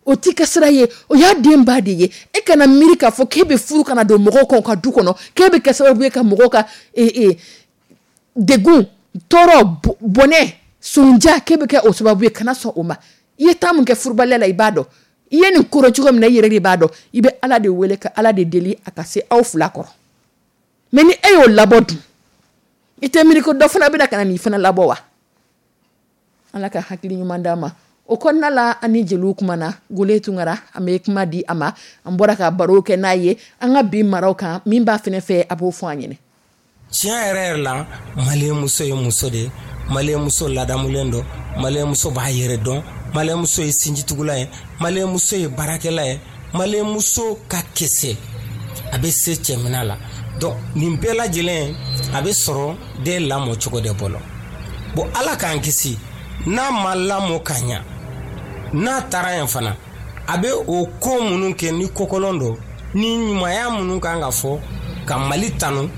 o t'i ka sira ye, o y'a den ba de ye. E kana miiri k'a fɔ k'e bɛ furu kana don mɔgɔw kan u ka du kɔnɔ, k'e bɛ kɛ sababu ye ka mɔgɔw ka degun, tɔɔrɔ, bɔnɛ, sonja, k'e bɛ kɛ o sababu ye. Kana sɔn o ma. I ye temps min kɛ furubaliya la, i b'a dɔn i ye nin koro cogo min na, i yɛrɛ de b'a dɔn. I bɛ Ala de wele ka Ala de deli a ka se aw fila kɔrɔ. Mais ni e y'o labɔ dun, i tɛ miiri ko dɔ fana bɛna ka na nin fana labɔ wa? Ala ka hakili ɲuman d'an ma. O kɔnɔna la, an ni jeliw kumana. Gole Tunkara, an bɛ kuma di a ma. An bɔra ka baro kɛ n'a ye an ka bi maraw kan. Min b'a fɛnɛ fɛ, a b'o fɔ an ɲɛnɛ. Tiɲɛ yɛrɛ yɛrɛ la, maliyɛn muso ye muso de ye. Maliyɛn muso ladamulen don, maliyɛn muso b'a yɛrɛ dɔn, maliyɛn muso ye sinjitugula ye, maliyɛn muso ye baarakɛla ye, maliyɛn muso ka kese, a bɛ se cɛmina la. Donc nin bɛɛ lajɛlen a bɛ sɔrɔ den lamɔ cogo de bolo. Bon, Ala k'an kisi, n'a ma lamɔ ka ɲa, n'a taara yen fana, a bɛ o ko minnu kɛ ni kokolon don, ni ɲumanya minnu kan ka fɔ ka Mali tanu,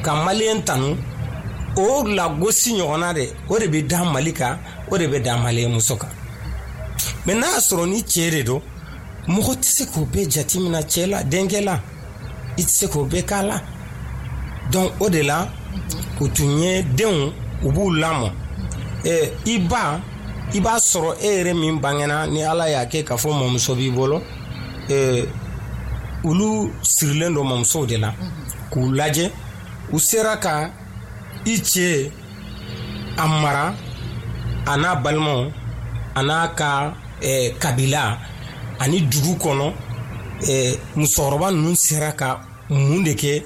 ka maliyɛn tanu, o lagosi ɲɔgɔnna de, o de bɛ da Mali kan, o de bɛ da maliyɛn muso kan. Mais n'a y'a sɔrɔ ni cɛ de don, mɔgɔ tɛ se k'o bɛɛ jateminɛ cɛ la, denkɛ la, i tɛ se k'o bɛɛ k'a la. Donc o de la u tun ye denw, u b'u lamɔ. Ɛ, i ba, i b'a sɔrɔ e yɛrɛ min bangena, ni Ala y'a kɛ k'a fɔ mɔmuso b'i bolo, ɛ, olu sirilen don mɔmusow de la k'u lajɛ. U sera ka i cɛ a mara, a n'a balimaw, a n'a ka eh, kabila ani dugu kɔnɔ. eh, musokɔrɔba ninnu sera ka mun de kɛ?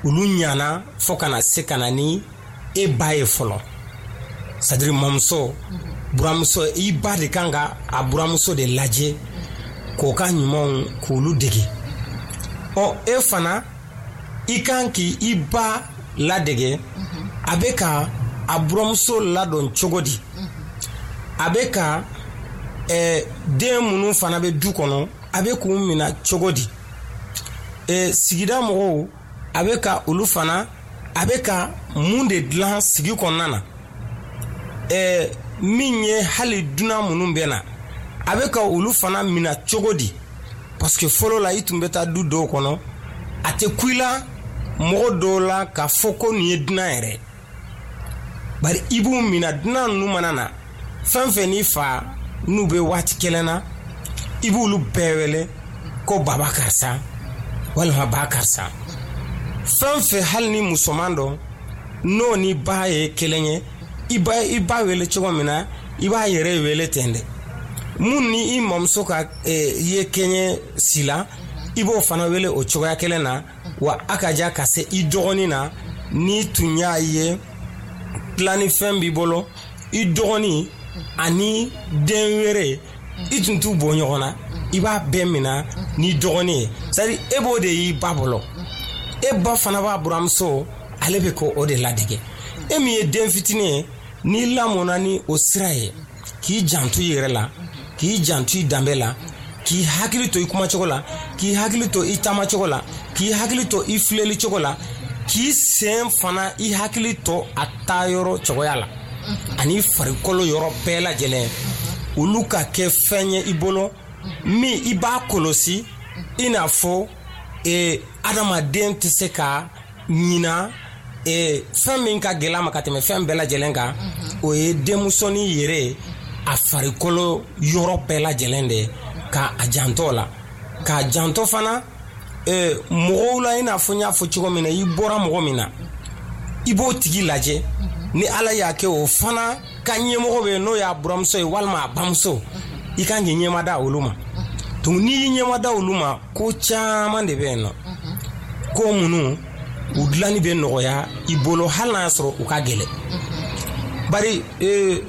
Olu ɲana fo ka na se ka na ni e ba ye fɔlɔ, c'est à dire mɔmuso, buramuso. I ba de kan ka a buramuso de lajɛ k'o ka ɲumanw k'olu dege. Ɔ, e fana, i kan k'i i ba ladege, a bɛ ka a buramuso ladɔn cogo di, a bɛ ka eh, den minnu fana bɛ du kɔnɔ, a bɛ k'u minɛ cogo di, eh, sigida mɔgɔw, a bɛ ka olu fana, a bɛ ka mun de dilan sigi kɔnɔna na, eh, min ye hali dunan minnu bɛ na, a bɛ ka olu fana minɛ cogo di. Parce que fɔlɔ la, i tun bɛ taa du dɔw kɔnɔ, a tɛ ku i la mɔgɔ dɔw la k'a fɔ ko nin ye dunan yɛrɛ. Bari i b'u minɛ, dunan ninnu mana na, fɛn fɛn n'i fa n'u bɛ waati kelen na, i b'olu bɛɛ wele ko baba karisa walima ba karisa. Fɛn fɛn, hali ni musoman dɔ n'o ni ba ye kelen ye, i ba i ba wele cogo min na, i b'a yɛrɛ wele ten dɛ. Mun ni i mamuso ka eh, ye kɛɲɛ si la, i b'o fana wele o cogoya kelen na. Wa a ka ja ka se i dɔgɔnin na, n'i tun y'a ye tilannifɛn b'i bolo, i dɔgɔnin ani den wɛrɛ, i tun t'u bɔ ɲɔgɔn na, i b'a bɛɛ minɛ n'i dɔgɔnin ye. C'est à dire e b'o de y'i ba bolo, e ba fana b'a buramuso, ale bɛ k'o de ladege. E min ye den fitinin ye, n'i lamɔna ni o sira ye, k'i janto i yɛrɛ la, k'i janto i danbe la, k'i hakili to i kumacogo la, k'i hakili to i taamacogo la, k'i hakili to i filɛli cogo la, k'i sen fana i hakili to a taayɔrɔ cogoya la, ani farikolo yɔrɔ bɛɛ lajɛlen, olu ka kɛ fɛn ye i bolo min i b'a kɔlɔsi, i n'a fɔ eh, adamaden tɛ se ka ɲina eh, fɛn min ka gɛlɛn a ma ka tɛmɛ fɛn bɛɛ lajɛlen kan, o ye denmusonin yɛrɛ a farikolo yɔrɔ bɛɛ lajɛlen de ye, ka a janto la, k'a janto fana eh, mɔgɔw la. I n'a fɔ n y'a fɔ cogo min na, i bɔra mɔgɔ min na, i b'o tigi lajɛ. Ni Ala y'a kɛ o fana ka ɲɛmɔgɔ bɛ yen, n'o y'a buramuso ye walima a bamuso, i kan k'i ɲɛma da olu ma. Donc n'i y'i ɲɛma da olu ma, ko caman de bɛ yen nɔ, ko minnu U dilanni bɛ nɔgɔya i bolo, hali n'a y'a sɔrɔ u ka gɛlɛn. Bari ee,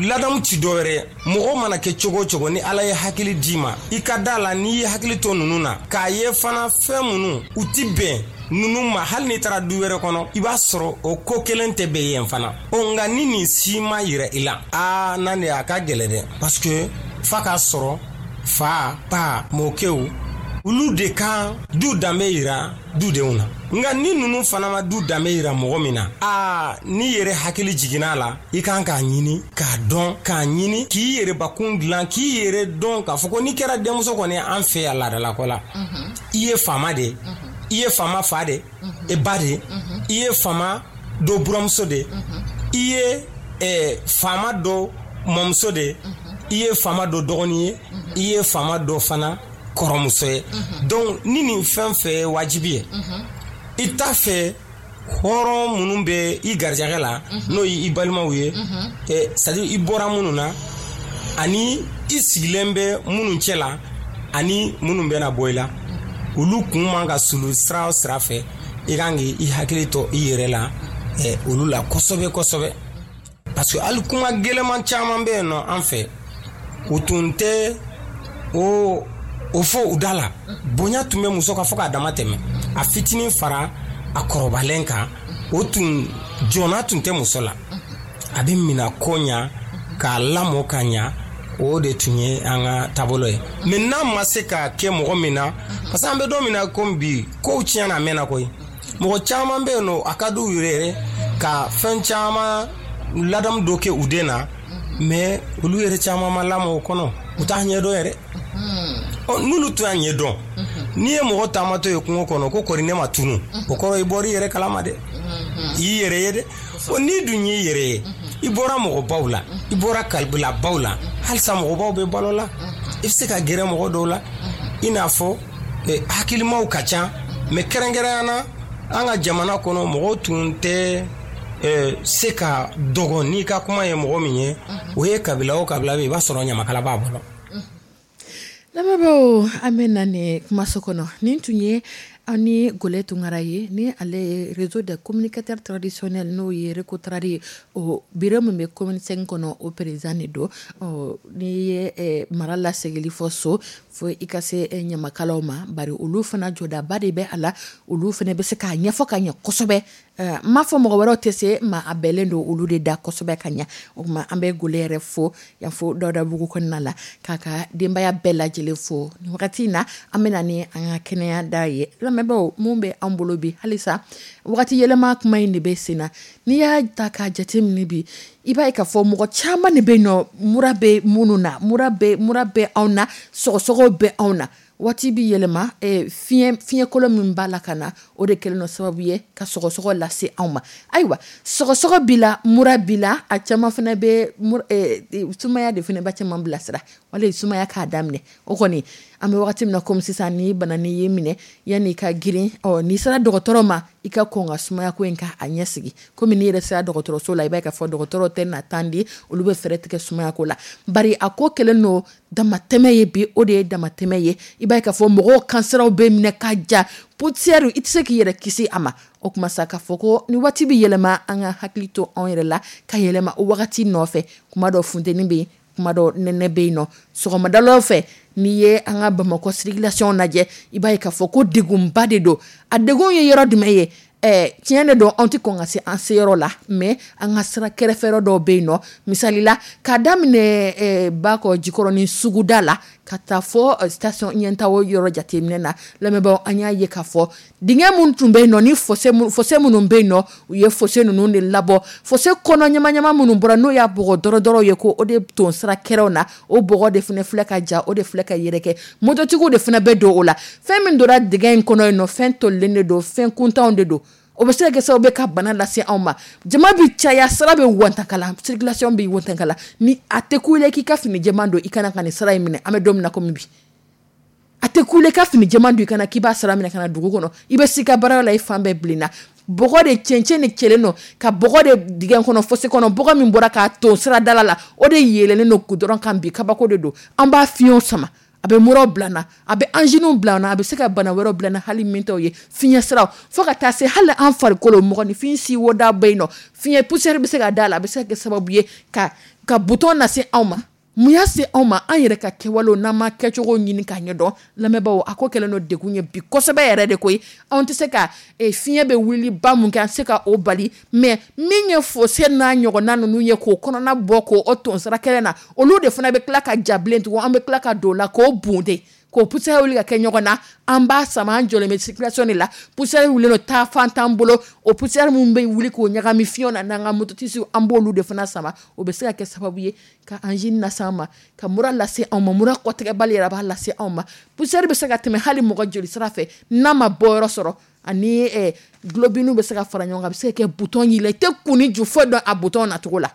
ladamu ti dɔwɛrɛ ye. Mɔgɔ mana kɛ cogo o cogo, ni Ala ye hakili d'i ma, i ka da la, n'i ye hakili to ninnu na, k'a ye fana fɛn minnu u ti bɛn ninnu ma, hali n'i taara du wɛrɛ kɔnɔ, i b'a sɔrɔ o ko kelen tɛ bɛn yen fana. O nka ni nin si ma yira i la, aa, n'a de a ka gɛlɛ dɛ, parce que f'a k'a sɔrɔ fa, ba, mɔkɛw, olu de kan du danbe yira dudenw na. Nka ni ninnu fana ma du danbe yira mɔgɔ min na, aa, n'i yɛrɛ hakili jiginna a la, i kan k'a ɲini k'a dɔn, k'a ɲini k'i yɛrɛ bakun dilan, k'i yɛrɛ dɔn, k'a fɔ ko n'i kɛra denmuso kɔni, an fɛ yan laadalako la, i ye faama de ye, i ye faama fa de ye, ba de ye, i ye faama dɔ buramuso de ye, i ye eh, faama dɔ mɔmuso de ye, i ye faama dɔ dɔgɔnin ye, i ye faama dɔ fana kɔrɔmuso ye. Donc ni nin fɛn fɛn ye wajibi ye, i t'a fɛ hɔrɔn minnu bɛ i garijɛgɛ la, n'o ye i balimaw ye, c'est à dire i bɔra minnu na, ani i sigilen bɛ minnu cɛ la, ani minnu bɛna bɔ i la, olu kun man ka sulu sira o sira fɛ, i kan k'i hakili to i yɛrɛ la olu la kosɛbɛ kosɛbɛ. Parce que hali kuma gɛlɛman caman bɛ yen nɔ an fɛ, u tun tɛ o o fɔ u da la. Bonya tun bɛ muso kan fo k'a dama tɛmɛ, a fitinin fara a kɔrɔbalen kan, o tun jɔnna tun tɛ muso la. A bɛ mina ko ɲa k'a lamɔ ka ɲa, o de tun ye an ka taabolo ye. Mais n'a ma se ka kɛ mɔgɔ min na, parce que an bɛ don min na komi bi, kow tiɲɛna, a mɛnna koyi. Mɔgɔ caman bɛ yen nɔ, a ka d'u yɛrɛ yɛrɛ ka fɛn caman ladamu dɔ kɛ u den na, mais olu yɛrɛ caman ma lamɔ o kɔnɔ, u t'a ɲɛdɔn yɛrɛ. Ɔ, n'olu tun y'a ɲɛdɔn, n'i ye mɔgɔ taamatɔ ye kungo kɔnɔ ko kɔri ne ma tunu, o kɔrɔ i bɔra i yɛrɛ kalama dɛ, i y'i yɛrɛ ye dɛ. O n'i dun y'i yɛrɛ ye, i bɔra mɔgɔbaw la, i bɔra kabilabaw la, halisa mɔgɔbaw bɛ balo la, i bɛ se ka gɛrɛ mɔgɔ dɔw la, i n'a fɔ hakilimaw ka ca. Mais kɛrɛnkɛrɛnya na, an ka jamana kɔnɔ, mɔgɔw tun tɛ se ka dɔgɔ n'i ka kuma ye mɔgɔ min ye, o ye kabila o kabila bɛ, i b'a sɔrɔ ɲamakala b'a bolo. Lamɛnbaaw, an bɛ na nin kumaso kɔnɔ. Nin tun ye aw ni Gole Tunkara ye, ni ale ye Réseau des communicateurs traditionnels, n'o ye RECOTRAD ye, o bureau min bɛ commune cinq kɔnɔ, o président de don. Ɔ, n'i ye mara lasegili fɔ so, fo i ka se ɲamakalaw ma, bari olu fana jɔdaba de bɛ a la. Olu fana bɛ se k'a ɲɛfɔ ka ɲɛ kosɛbɛ. N m'a fɔ mɔgɔ wɛrɛw tɛ se ma, a bɛɛlen don olu de da kosɛbɛ ka ɲɛ. O tuma an bɛ Gole yɛrɛ fo yan, fo Dawudabugu kɔnɔna la, k'a ka denbaya bɛɛ lajɛlen fo. Nin wagati in na, an bɛ na ni an ka kɛnɛya da ye. Lamɛnbaaw, mun bɛ an bolo bi? Halisa wagati yɛlɛma kuma in de bɛ sen na. N'i y'a ta k'a jateminɛ bi, i b'a ye k'a fɔ mɔgɔ caman de bɛ yen nɔ, mura bɛ minnu na, mura bɛ mura bɛ anw na, sɔgɔsɔgɔ bɛ anw na. Waati bɛ yɛlɛma, fiɲɛ fiɲɛkolon min b'a la ka na, o de kɛlen don sababu ye ka sɔgɔsɔgɔ lase anw ma. Ayiwa, sɔgɔsɔgɔ b'i la, mura b'i la, a caman fana bɛ sumaya de fana b'a caman bilasira, wala sumaya k'a daminɛ. O kɔni, an bɛ wagati min na komi sisan, ni bana n'i y'i minɛ, yanni i ka girin, ɔ, n'i sera dɔgɔtɔrɔ ma, i ka kɔn ka sumaya ko in k'a ɲɛ sigi. Komi n'i yɛrɛ sera dɔgɔtɔrɔso la, i b'a ye k'a fɔ dɔgɔtɔrɔ tɛ na tan di, olu bɛ fɛɛrɛ tigɛ sumaya ko la. Bari a ko kɛlen don damatɛmɛ ye bi, o de ye damatɛmɛ ye. I b'a ye k'a fɔ mɔgɔw kansɛrɛw bɛ minɛ ka ja, poussière, i tɛ se k'i yɛrɛ kisi a ma. O tuma sa, k'a fɔ ko ni waati bɛ yɛlɛma, an ka hakili to anw yɛrɛ la ka yɛlɛma o wagati nɔfɛ. Kuma dɔ funteni bɛ yen, kuma dɔ nɛnɛ bɛ yen nɔ. Sɔgɔmadalaw fɛ, n'i ye an ka Bamakɔ circulation lajɛ, i b'a ye k'a fɔ ko degunba de don. A degun ye yɔrɔ jumɛn ye? Ɛɛ, tiɲɛ de don, anw tɛ kɔn ka se an seyɔrɔ la, mais an ka sira kɛrɛfɛ dɔw bɛ yen nɔ. Misali la, k'a daminɛ Bakɔ Jikɔrɔni suguda la ka taa fɔ station ɲɛtaw yɔrɔ jateminɛ na, lamɛnbaaw, an y'a ye k'a fɔ dingɛ minnu tun bɛ yen nɔ, ni fossé minnu bɛ yen nɔ, u ye fossé ninnu de labɔ. Fossé kɔnɔ ɲamaɲama minnu bɔra, n'o y'a bɔgɔ dɔrɔ dɔrɔ ye, ko o de ton sira kɛrɛw na, o bɔgɔ de fana filɛ ka ja, o de filɛ ka yɛrɛkɛ. Mototigiw de fana bɛ don o la. Fɛn min donna dingɛ in kɔnɔ yen nɔ, fɛn tolilen de don, fɛn kuntanw de don. O bɛ se ka kɛ sababu ye ka bana lase anw ma. Jama bɛ caya, sira bɛ wantakala, circulation bɛ wantakala. Ni a tɛ ku i la k'i ka fini jɛman don, i kana ka nin sira in minɛ. An bɛ don min na komi bi, a tɛ ku i la i ka fini jɛman don, i kana k'i b'a sira minɛ ka na dugu kɔnɔ. I bɛ s'i ka baara la, i fan bɛɛ bilenna, bɔgɔ de, cɛncɛn de cɛlen don ka bɔgɔ de dingɛ kɔnɔ, fossé kɔnɔ. Bɔgɔ min bɔra k'a ton sira dala la, o de yɛlɛlen don goudron kan bi. Kabako de don. An b'a fiɲɛw sama, A bɛ muraw bila n na, a bɛ anginew bila n na, a bɛ se ka bana wɛrɛw bila n na hali min t'o ye, fiɲɛ siraw fo ka taa se hali an farikolo mɔgɔninfin si woda bɛ yen nɔ, fiɲɛ poussière bɛ se ka da la, a bɛ se ka kɛ sababu ye ka ka bouton lase anw ma. Mun y'a se anw ma? An yɛrɛ ka kɛwalew n'an ma kɛcogo ɲini k'a ɲɛdɔn. Lamɛnbaaw, a ko kɛlen don degun ye bi kosɛbɛ yɛrɛ de koyi. Anw tɛ se ka fiɲɛ bɛ wuli ba mun kɛ, an tɛ se ka o bali, mais min ye fossé n'a ɲɔgɔnna ninnu ye k'o kɔnɔna bɔ k'o ton sira kɛnɛ na, olu de fana bɛ tila ka ja bilen tugun, an bɛ tila ka don o la k'o bunte, k'o poussière wuli ka kɛ ɲɔgɔn na, an b'a sama, an jɔlen bɛ circulation de la, poussière wulilen don taa fan t'an bolo, o poussière min bɛ wuli k'o ɲagami fiɲɛ na n'an ka mototisiw, an b'olu de fana sama, o bɛ se ka kɛ sababu ye ka angine lase an ma, ka mura lase anw ma, mura kɔtigɛbali yɛrɛ b'a lase anw ma. Poussière bɛ se ka tɛmɛ hali mɔgɔ joli sira fɛ n'a ma bɔ yɔrɔ sɔrɔ, ani eh, globine bɛ se ka fara ɲɔgɔn kan, a bɛ se ka kɛ bouton y'i la, i tɛ kun ni ju foyi dɔn a bouton nacogo la.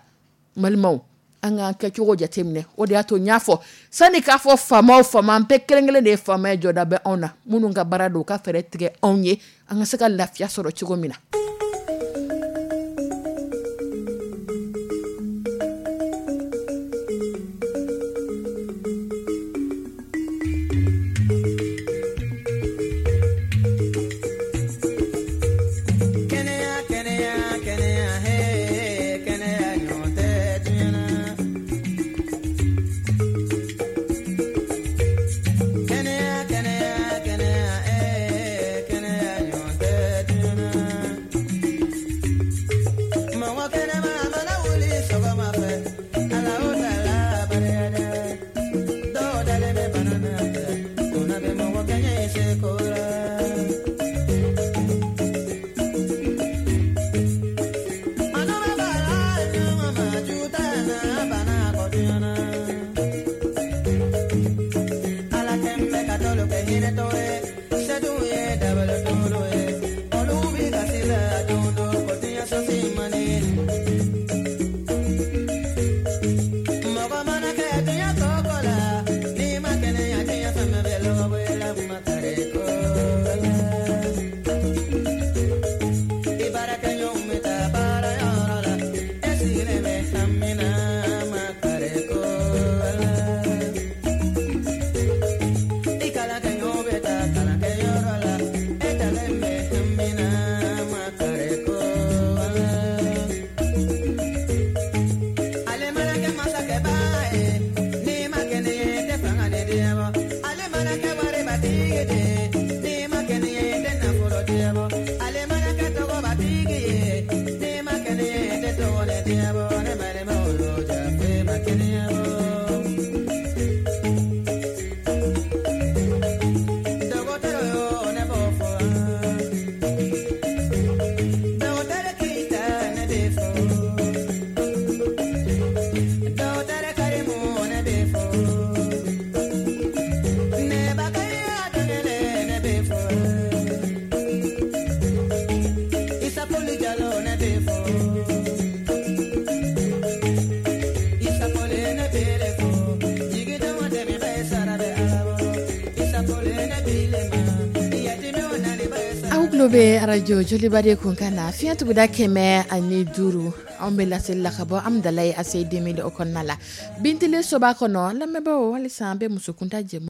Balimaw, an k'an kɛcogo jateminɛ. O de y'a to n y'a fɔ sani k'a fɔ faama o faama, an bɛɛ kelen kelen de ye faama ye, jɔda bɛ anw na, minnu ka baara don u ka fɛɛrɛ tigɛ anw ye an ka se ka lafiya sɔrɔ cogo min na. Aw tulo bɛ arajo Joliba de kun kan na fiɲɛ tuguda kɛmɛ ani duuru, anw bɛ laseli la ka bɔ Amudalayi A C deux mille o kɔnɔna la, Bintile soba kɔnɔ. Lamɛnbaaw, halisa an bɛ musokunta jɛmu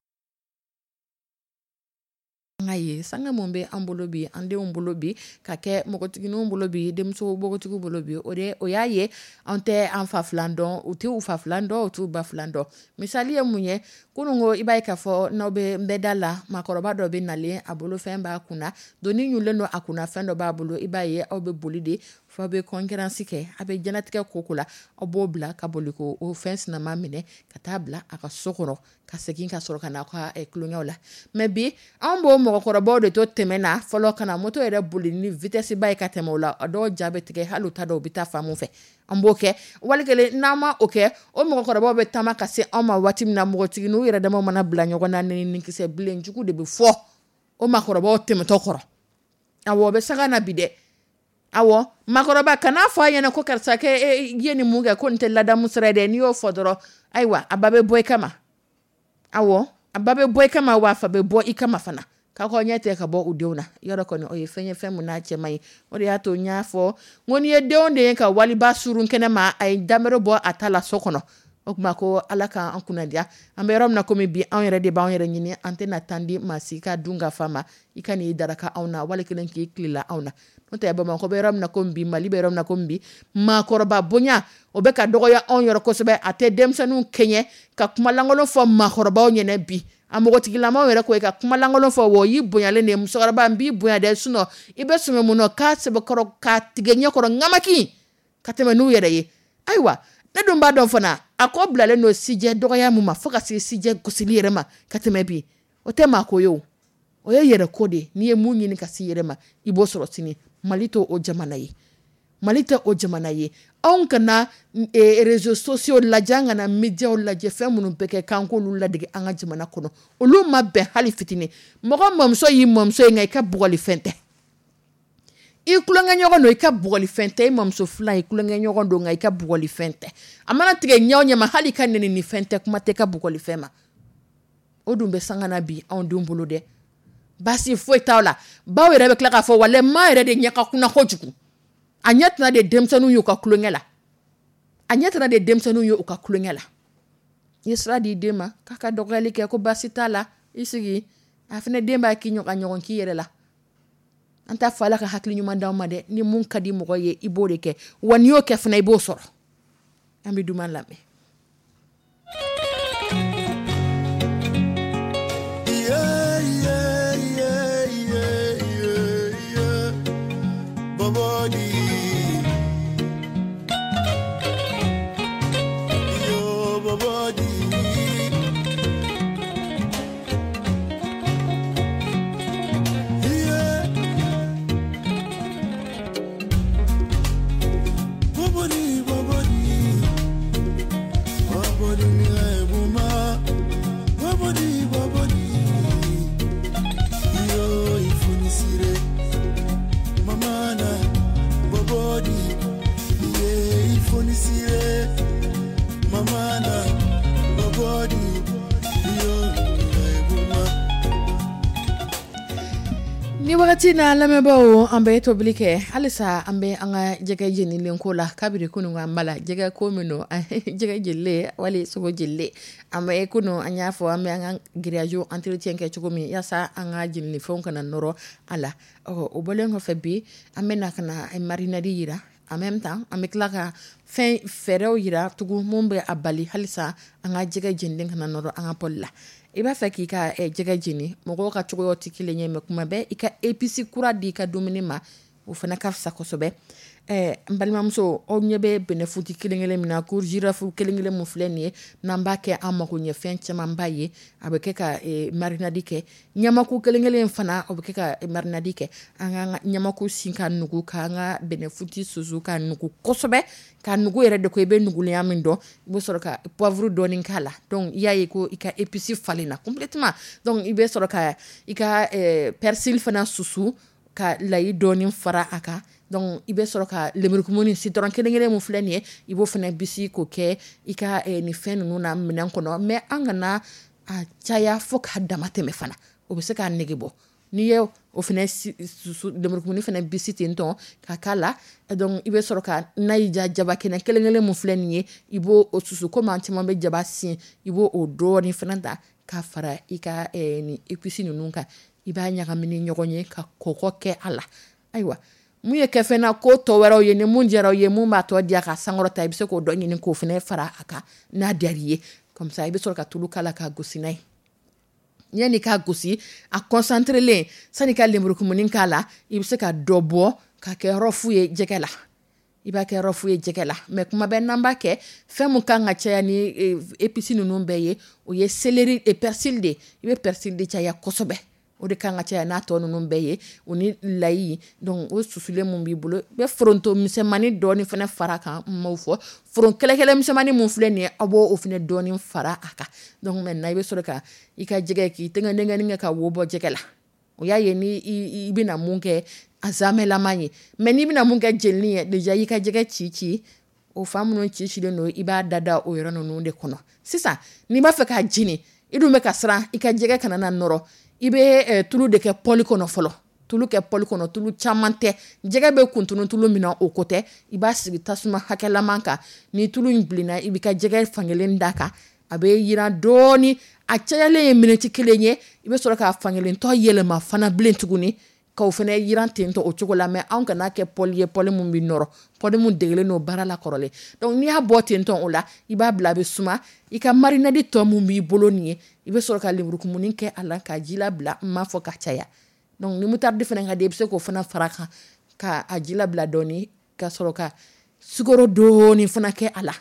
ye sanga mun bɛ an bolo bi, an denw bolo bi, ka kɛ npogotigininw bolo bi, denmuso npogotigiw bolo bi, o de o y'a ye an tɛ an fa filan dɔn, u tɛ u fa filan dɔn, u t'u ba filan dɔn. Misali ye mun ye? Kunun ko i b'a ye k'a fɔ n'aw bɛ n bɛ da la, maakɔrɔba dɔ bɛ nalen, a bolo fɛn b'a kunna, doni ɲulen don a kunna, fɛn dɔ b'a bolo, i b'a ye aw bɛ boli de fo aw bɛ concurrence kɛ, a bɛ diɲɛlatigɛ ko ko la, aw b'o bila ka boli ko o fɛn sinama minɛ ka taa bila a ka so kɔnɔ, ka segin ka sɔrɔ ka na aw ka tulonkɛw la. Mais bi anw b'o mɔgɔkɔrɔbaw de to tɛmɛ na fɔlɔ ka na moto yɛrɛ boli ni vitesse ba ye ka tɛmɛ o la, a dɔw ja bɛ tigɛ, hali u t'a dɔn u bɛ taa fan mun fɛ. An b'o kɛ wali kelen n'an ma o kɛ, o mɔgɔkɔrɔbaw bɛ taama ka se anw ma waati min na, npogotigininw yɛrɛ damaw mana bila ɲɔgɔn na, ni kisɛ bilen jugu de bɛ fɔ o maakɔrɔbaw tɛmɛtɔ kɔrɔ. Awɔ, o bɛ sanga na bi dɛ. Awɔ, maakɔrɔba kan'a fɔ a ɲɛna ko karisa kɛ e ye nin mun kɛ, ko nin tɛ ladamu sira ye dɛ. N'i y'o fɔ dɔrɔn, ayiwa, a ba bɛ bɔ i kama. Awɔ, a ba bɛ bɔ i kama, wa a fa bɛ bɔ i kama fana. K'aw ka ɲɛ tɛ ka bɔ u denw na. Yɔrɔ kɔni o ye fɛn ye, fɛn mun n'a cɛ man ɲi. O de y'a to n y'a fɔ n ko n'i ye denw de ye ka waliba surun kɛnɛ ma, a ye damero bɔ a ta la so kɔnɔ. O tuma ko Ala k'an kunnadiya. An bɛ yɔrɔ min na komi bi, anw yɛrɛ de b'an yɛrɛ ɲini, an tɛna tan di maa si ka dun ka fa ma. I ka n'i daraka anw na, wali kelen k'i tilela anw na. N'o tɛ Bamakɔ bɛ yɔrɔ min na komi bi, Mali bɛ yɔrɔ min na komi bi, maakɔrɔba bonya o bɛ ka dɔgɔya anw yɔrɔ kosɛbɛ. A tɛ denmisɛnninw kɛɲɛ ka kumalankolon fɔ maakɔrɔbaw ɲɛna bi. A npogotigilamaw yɛrɛ ko i ka kumalankolon fɔ, wa o y'i bonyalen de ye. Musokɔrɔba, n b'i bonya dɛ, sinon i bɛ sɛgɛn mun na k'a sɛbɛkɔrɔ k'a tigɛ ɲɛkɔrɔ ŋamaki ka tɛmɛ n'u yɛrɛ ye. Ayiwa, ne dun b'a dɔn fana, a ko bilalen don sijɛ dɔgɔya mun ma, fo ka se sijɛ gosili yɛrɛ ma ka tɛmɛ bi. O tɛ maa ko ye o, o ye yɛrɛ ko de ye. N'i ye mun ɲini ka s'i yɛrɛ ma, i b'o sɔrɔ sini. Mali tɛ o jamana ye, Mali tɛ o jamana ye. Anw kana réseaux sociaux lajɛ, an kana médiaw lajɛ, fɛn minnu bɛ kɛ k'an k'olu ladege an ka jamana kɔnɔ, olu ma bɛn hali fitinin. Mɔgɔ mamuso y'i mamuso ye, nka i ka bugɔlifɛn tɛ. I tulonkɛɲɔgɔn don, i ka bugɔlifɛn tɛ. I mamuso filan, i tulonkɛɲɔgɔn don, nka i ka bugɔlifɛn tɛ. A mana tigɛ ɲɛ o ɲɛ ma, hali i ka nɛni ni fɛn tɛ, kuma tɛ ka bugɔlifɛn ma. O dun bɛ sanga na bi anw denw bolo dɛ. Baasi foyi t'aw la. Baw yɛrɛ bɛ tila k'a fɔ walahi maa yɛrɛ de ɲɛ ka kunna kojugu. A ɲɛ tɛna de denmisɛnninw y'u ka tulonkɛ la. A ɲɛ tɛna de denmisɛnninw ye u ka tulonkɛ la. I ye sira di den ma k'a ka dɔgɔyali kɛ, ko baasi t'a la, i sigi. A fana den b'a k'i ɲɔgɔn ɲɔgɔn k'i yɛrɛ la. An t'a fɔ Ala ka hakili ɲuman d'anw ma dɛ. Ni mun ka di mɔgɔ ye, i b'o de kɛ, wa n'i y'o kɛ fana, i b'o sɔrɔ. An bɛ duman lamɛn. Yeah, yeah, yeah, yeah, yeah, yeah. Bobodi. Yo, Bobodi. Yeah. Bobodi, Bobodi. Bobodi, mi ebuma. Bobodi, Bobodi. Yo, ifunisire. Mamana, Bobodi. Yeah, ifunisire. Mamana, Bobodi. Yo, ebuma. Ni wagati na, lamɛnbaaw, an bɛ tobili kɛ halisa. An bɛ an ka jɛgɛ jenilen ko la kabiri kunun. An b'a la jɛgɛ ko min don, jɛgɛ jenilen wali sogo jenilen. An bɛ kunun, an y'a fɔ an bɛ an ka grillage entretien kɛ cogo min, yaasa an ka jeninifɛnw kana nɔrɔ a la. Ɔ, o bɔlen kɔfɛ, bi an bɛ na ka na marinade yira. En même temps, an bɛ tila ka fɛn fɛɛrɛw yira tugun mun bɛ a bali halisa an ka jɛgɛ jenilen kana nɔrɔ an ka poêle la. I b'a fɛ k'i ka jɛgɛ jeni, mɔgɔw ka cogoyaw tɛ kelen ye, mais kuma bɛɛ i ka épice kura di i ka dumuni ma, o fana ka fisa kosɛbɛ. Ɛɛ n balimamuso, aw ɲɛ bɛ bɛnɛfuti kelen kelen min na, ko girofle kelen kelen mun filɛ nin ye, n'an b'a kɛ an mako ɲɛ fɛn camanba ye, a bɛ kɛ ka marinade kɛ. Ɲamaku kelen kelen fana, o bɛ kɛ ka marinade kɛ. An k'an ka ɲamaku sin ka nugu, k'an ka bɛnɛfuti susu ka nugu kosɛbɛ, ka nugu yɛrɛ de ko i bɛ nugulenya min dɔn, i bɛ sɔrɔ ka poivre dɔɔni k'a la. Donc i y'a ye ko i ka épice falenna complètement. Donc i bɛ sɔrɔ ka i ka persil fana susu ka layi dɔɔni fara a kan. Donc i bɛ sɔrɔ ka lemurukumuni citron kelen kelen mun filɛ nin ye, i b'o fana bisi k'o kɛ i ka nin fɛn ninnu na minɛn kɔnɔ. Mais an kana a caya fo k'a dama tɛmɛ fana, o bɛ se k'a nege bɔ. N'i ye o fana susu, lemurukumuni fana bisi ten tɔ ka k'a la. Donc i bɛ sɔrɔ ka n'a y'i ja, jaba kɛnɛ kelen kelen mun filɛ nin ye, i b'o o susu. Komi an caman bɛ jaba sin, i b'o o dɔɔni fana ta k'a fara i ka nin épice ninnu kan. I b'a ɲagami ni ɲɔgɔn ye ka kɔgɔ kɛ a la. Ayiwa, mun ye kɛfɛn na ko tɔ wɛrɛw ye, ni mun diyara aw ye, mun b'a tɔ diya ka sankɔrɔta, i bɛ se k'o dɔ ɲini k'o fana fara a kan n'a diyara i ye. Comme ça i bɛ sɔrɔ ka tulu k'a la k'a gosi n'a ye. Yanni k'a gosi a concentrelen, sani ka lemurukumuni k'a la, i bɛ se ka dɔ bɔ ka kɛ rof ye jɛgɛ la. I b'a kɛ rof ye jɛgɛ la. Mais kuma bɛɛ n'an b'a kɛ, fɛn mun kan ka caya ni épice ninnu bɛɛ ye, o ye céleri et persil de. I bɛ persil de caya kosɛbɛ, o de kan ka caya n'a tɔ ninnu bɛɛ ye, o ni layi. Donc o susulen mun b'i bolo, i bɛ foronto misɛnmanin dɔɔni fana fara a kan. N m'o fɔ, foron kɛlɛkɛlɛ misɛnmanin mun filɛ nin ye, aw b'o o fana dɔɔni fara a kan. Donc maintenant i bɛ sɔrɔ ka i ka jɛgɛ k'i tɛgɛ kɛ ka wo bɔ jɛgɛ la. O y'a ye ni i bɛna mun kɛ a zamɛlama ye. Mais n'i bɛna mun kɛ jenini ye, déjà i ka jɛgɛ ci ci, o fan minnu ci cilen don, i b'a da da o yɔrɔ ninnu de kɔnɔ. Sisan n'i b'a fɛ k'a jeni, i dun bɛ ka siran i ka jɛgɛ kana na nɔrɔ, i bɛ tulu de kɛ poêle kɔnɔ fɔlɔ. Tulu kɛ poêle kɔnɔ, tulu caman tɛ, jɛgɛ bɛ kuntunu tulu min na, o ko tɛ. I b'a sigi tasuma hakɛlaman kan. Ni tulu in bilenna, i b'i ka jɛgɛ fankelen da kan, a bɛ yiran dɔɔni. A cayalen ye miniti kelen ye. I bɛ sɔrɔ k'a fankelen tɔ yɛlɛma fana bilen tuguni, k'o fana yiran ten tɔ o cogo la. Mais anw kana kɛ poêle ye, poêle mun bɛ nɔrɔ, poêle mun degelen don baara la kɔrɔlen. Donc n'i y'a bɔ ten tɔ o la, i b'a bila a bɛ suma. I ka marinade tɔ mun b'i bolo nin ye, i bɛ sɔrɔ ka lemurukumuni kɛ a la ka ji labila. N m'a fɔ ka caya. Donc ni moutarde fana ka di, i bɛ se k'o fana fara kan ka a ji labila dɔɔni, ka sɔrɔ ka sukaro dɔɔni fana kɛ a la.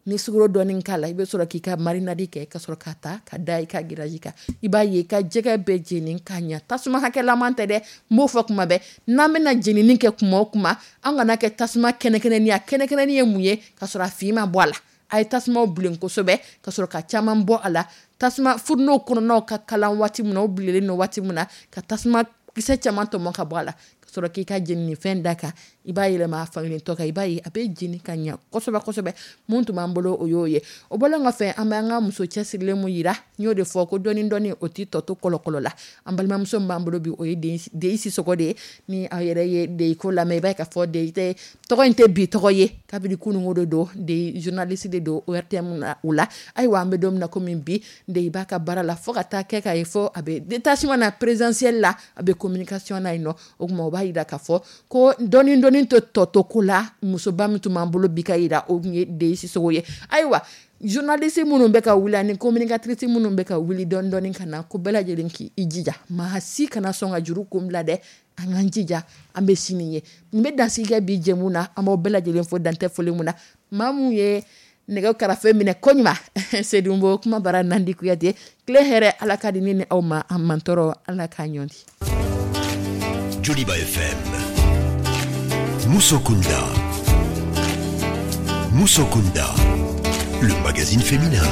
Ni sukaro dɔɔni k'a la, i bɛ sɔrɔ k'i ka marinade kɛ, ka sɔrɔ ka ta ka da i ka grillage kan. I b'a ye i ka jɛgɛ bɛɛ jeni ka ɲa. Tasuma hakɛlaman tɛ dɛ, n b'o fɔ kuma bɛɛ. N'an bɛna jenini kɛ kuma o kuma, an kana kɛ tasuma kɛnɛkɛnɛni. A kɛnɛkɛnɛni ye mun ye? Ka sɔrɔ a fin ma bɔ a la. A ye tasumaw bilen kosɛbɛ ka sɔrɔ ka caman bɔ a la. Tasuma fourneau kɔnɔnaw ka kalan waati min na, o bilenlen don waati min na, ka tasuma kisɛ caman tɔmɔ ka bɔ a la, ka sɔrɔ k'i ka jenini fɛn da kan. I b'a yɛlɛma a fankelen tɔ kan, i b'a ye a bɛ jeni ka ɲa kosɛbɛ kosɛbɛ. Mun tun b'an bolo, o y'o ye. O bɔlen kɔfɛ, an bɛ an ka muso cɛsirilen mun yira, n y'o de fɔ ko dɔɔni dɔɔni, o t'i tɔ to kɔlɔkɔlɔ la. An balimamuso min b'an bolo bi, o ye Deyi Sisɔkɔ de ye. Ni aw yɛrɛ ye Deyi ko lamɛn, i b'a ye k'a fɔ Deyi tɛ, tɔgɔ in tɛ bi tɔgɔ ye, kabini kununko de don. Deyi journaliste de don O R T M na o la. Ayiwa, an bɛ don min na komi bi, Deyi b'a ka baara la fo ka taa kɛ k'a ye fɔ a bɛ détachement na présidentiel la, a bɛ communication na yen nɔ. O tuma, o b'a yira k'a fɔ ko dɔɔni dɔɔni tɛ tɔ to ko la. Musoba min tun b'an bolo bi ka yira, o tun ye Deyi Sisɔkɔ ye. Ayiwa, journaliste minnu bɛ ka wuli ani communicatrice minnu bɛ ka wuli dɔɔni dɔɔni ka na, ko bɛɛ lajɛlen k'i jija, maa si kana sɔn ka juru kun bila dɛ. An k'an jija, an bɛ sini ye. Nin bɛ dansigi kɛ bi jɛmu na. An b'aw bɛɛ lajɛlen fo dantɛ foli mun na. Maa mun ye nɛgɛ karafe minɛ koɲuman, Sedunbo kuma bara, Nandi Kuyate. Tile hɛrɛ, Ala ka di ne ni aw ma. An mantɔrɔ, Ala k'a ɲɔnti. Joliba F M. Musokunda. Musokunda. Le magazine féminin.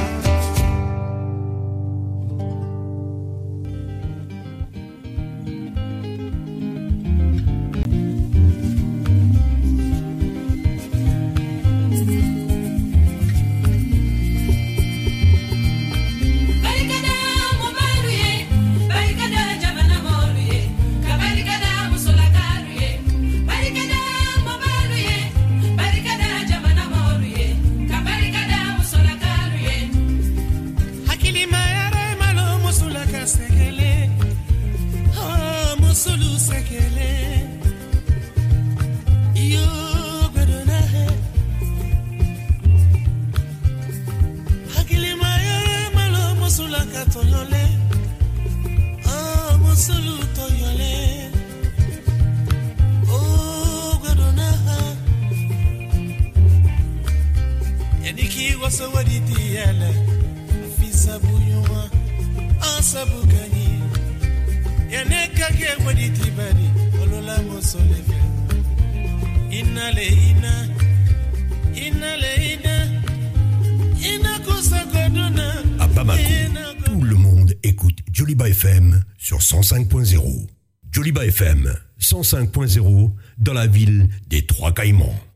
À Bamako, tout le monde écoute Joliba F M sur cent cinq point zéro. Joliba F M cent cinq point zéro dans la ville des Trois Caïmans.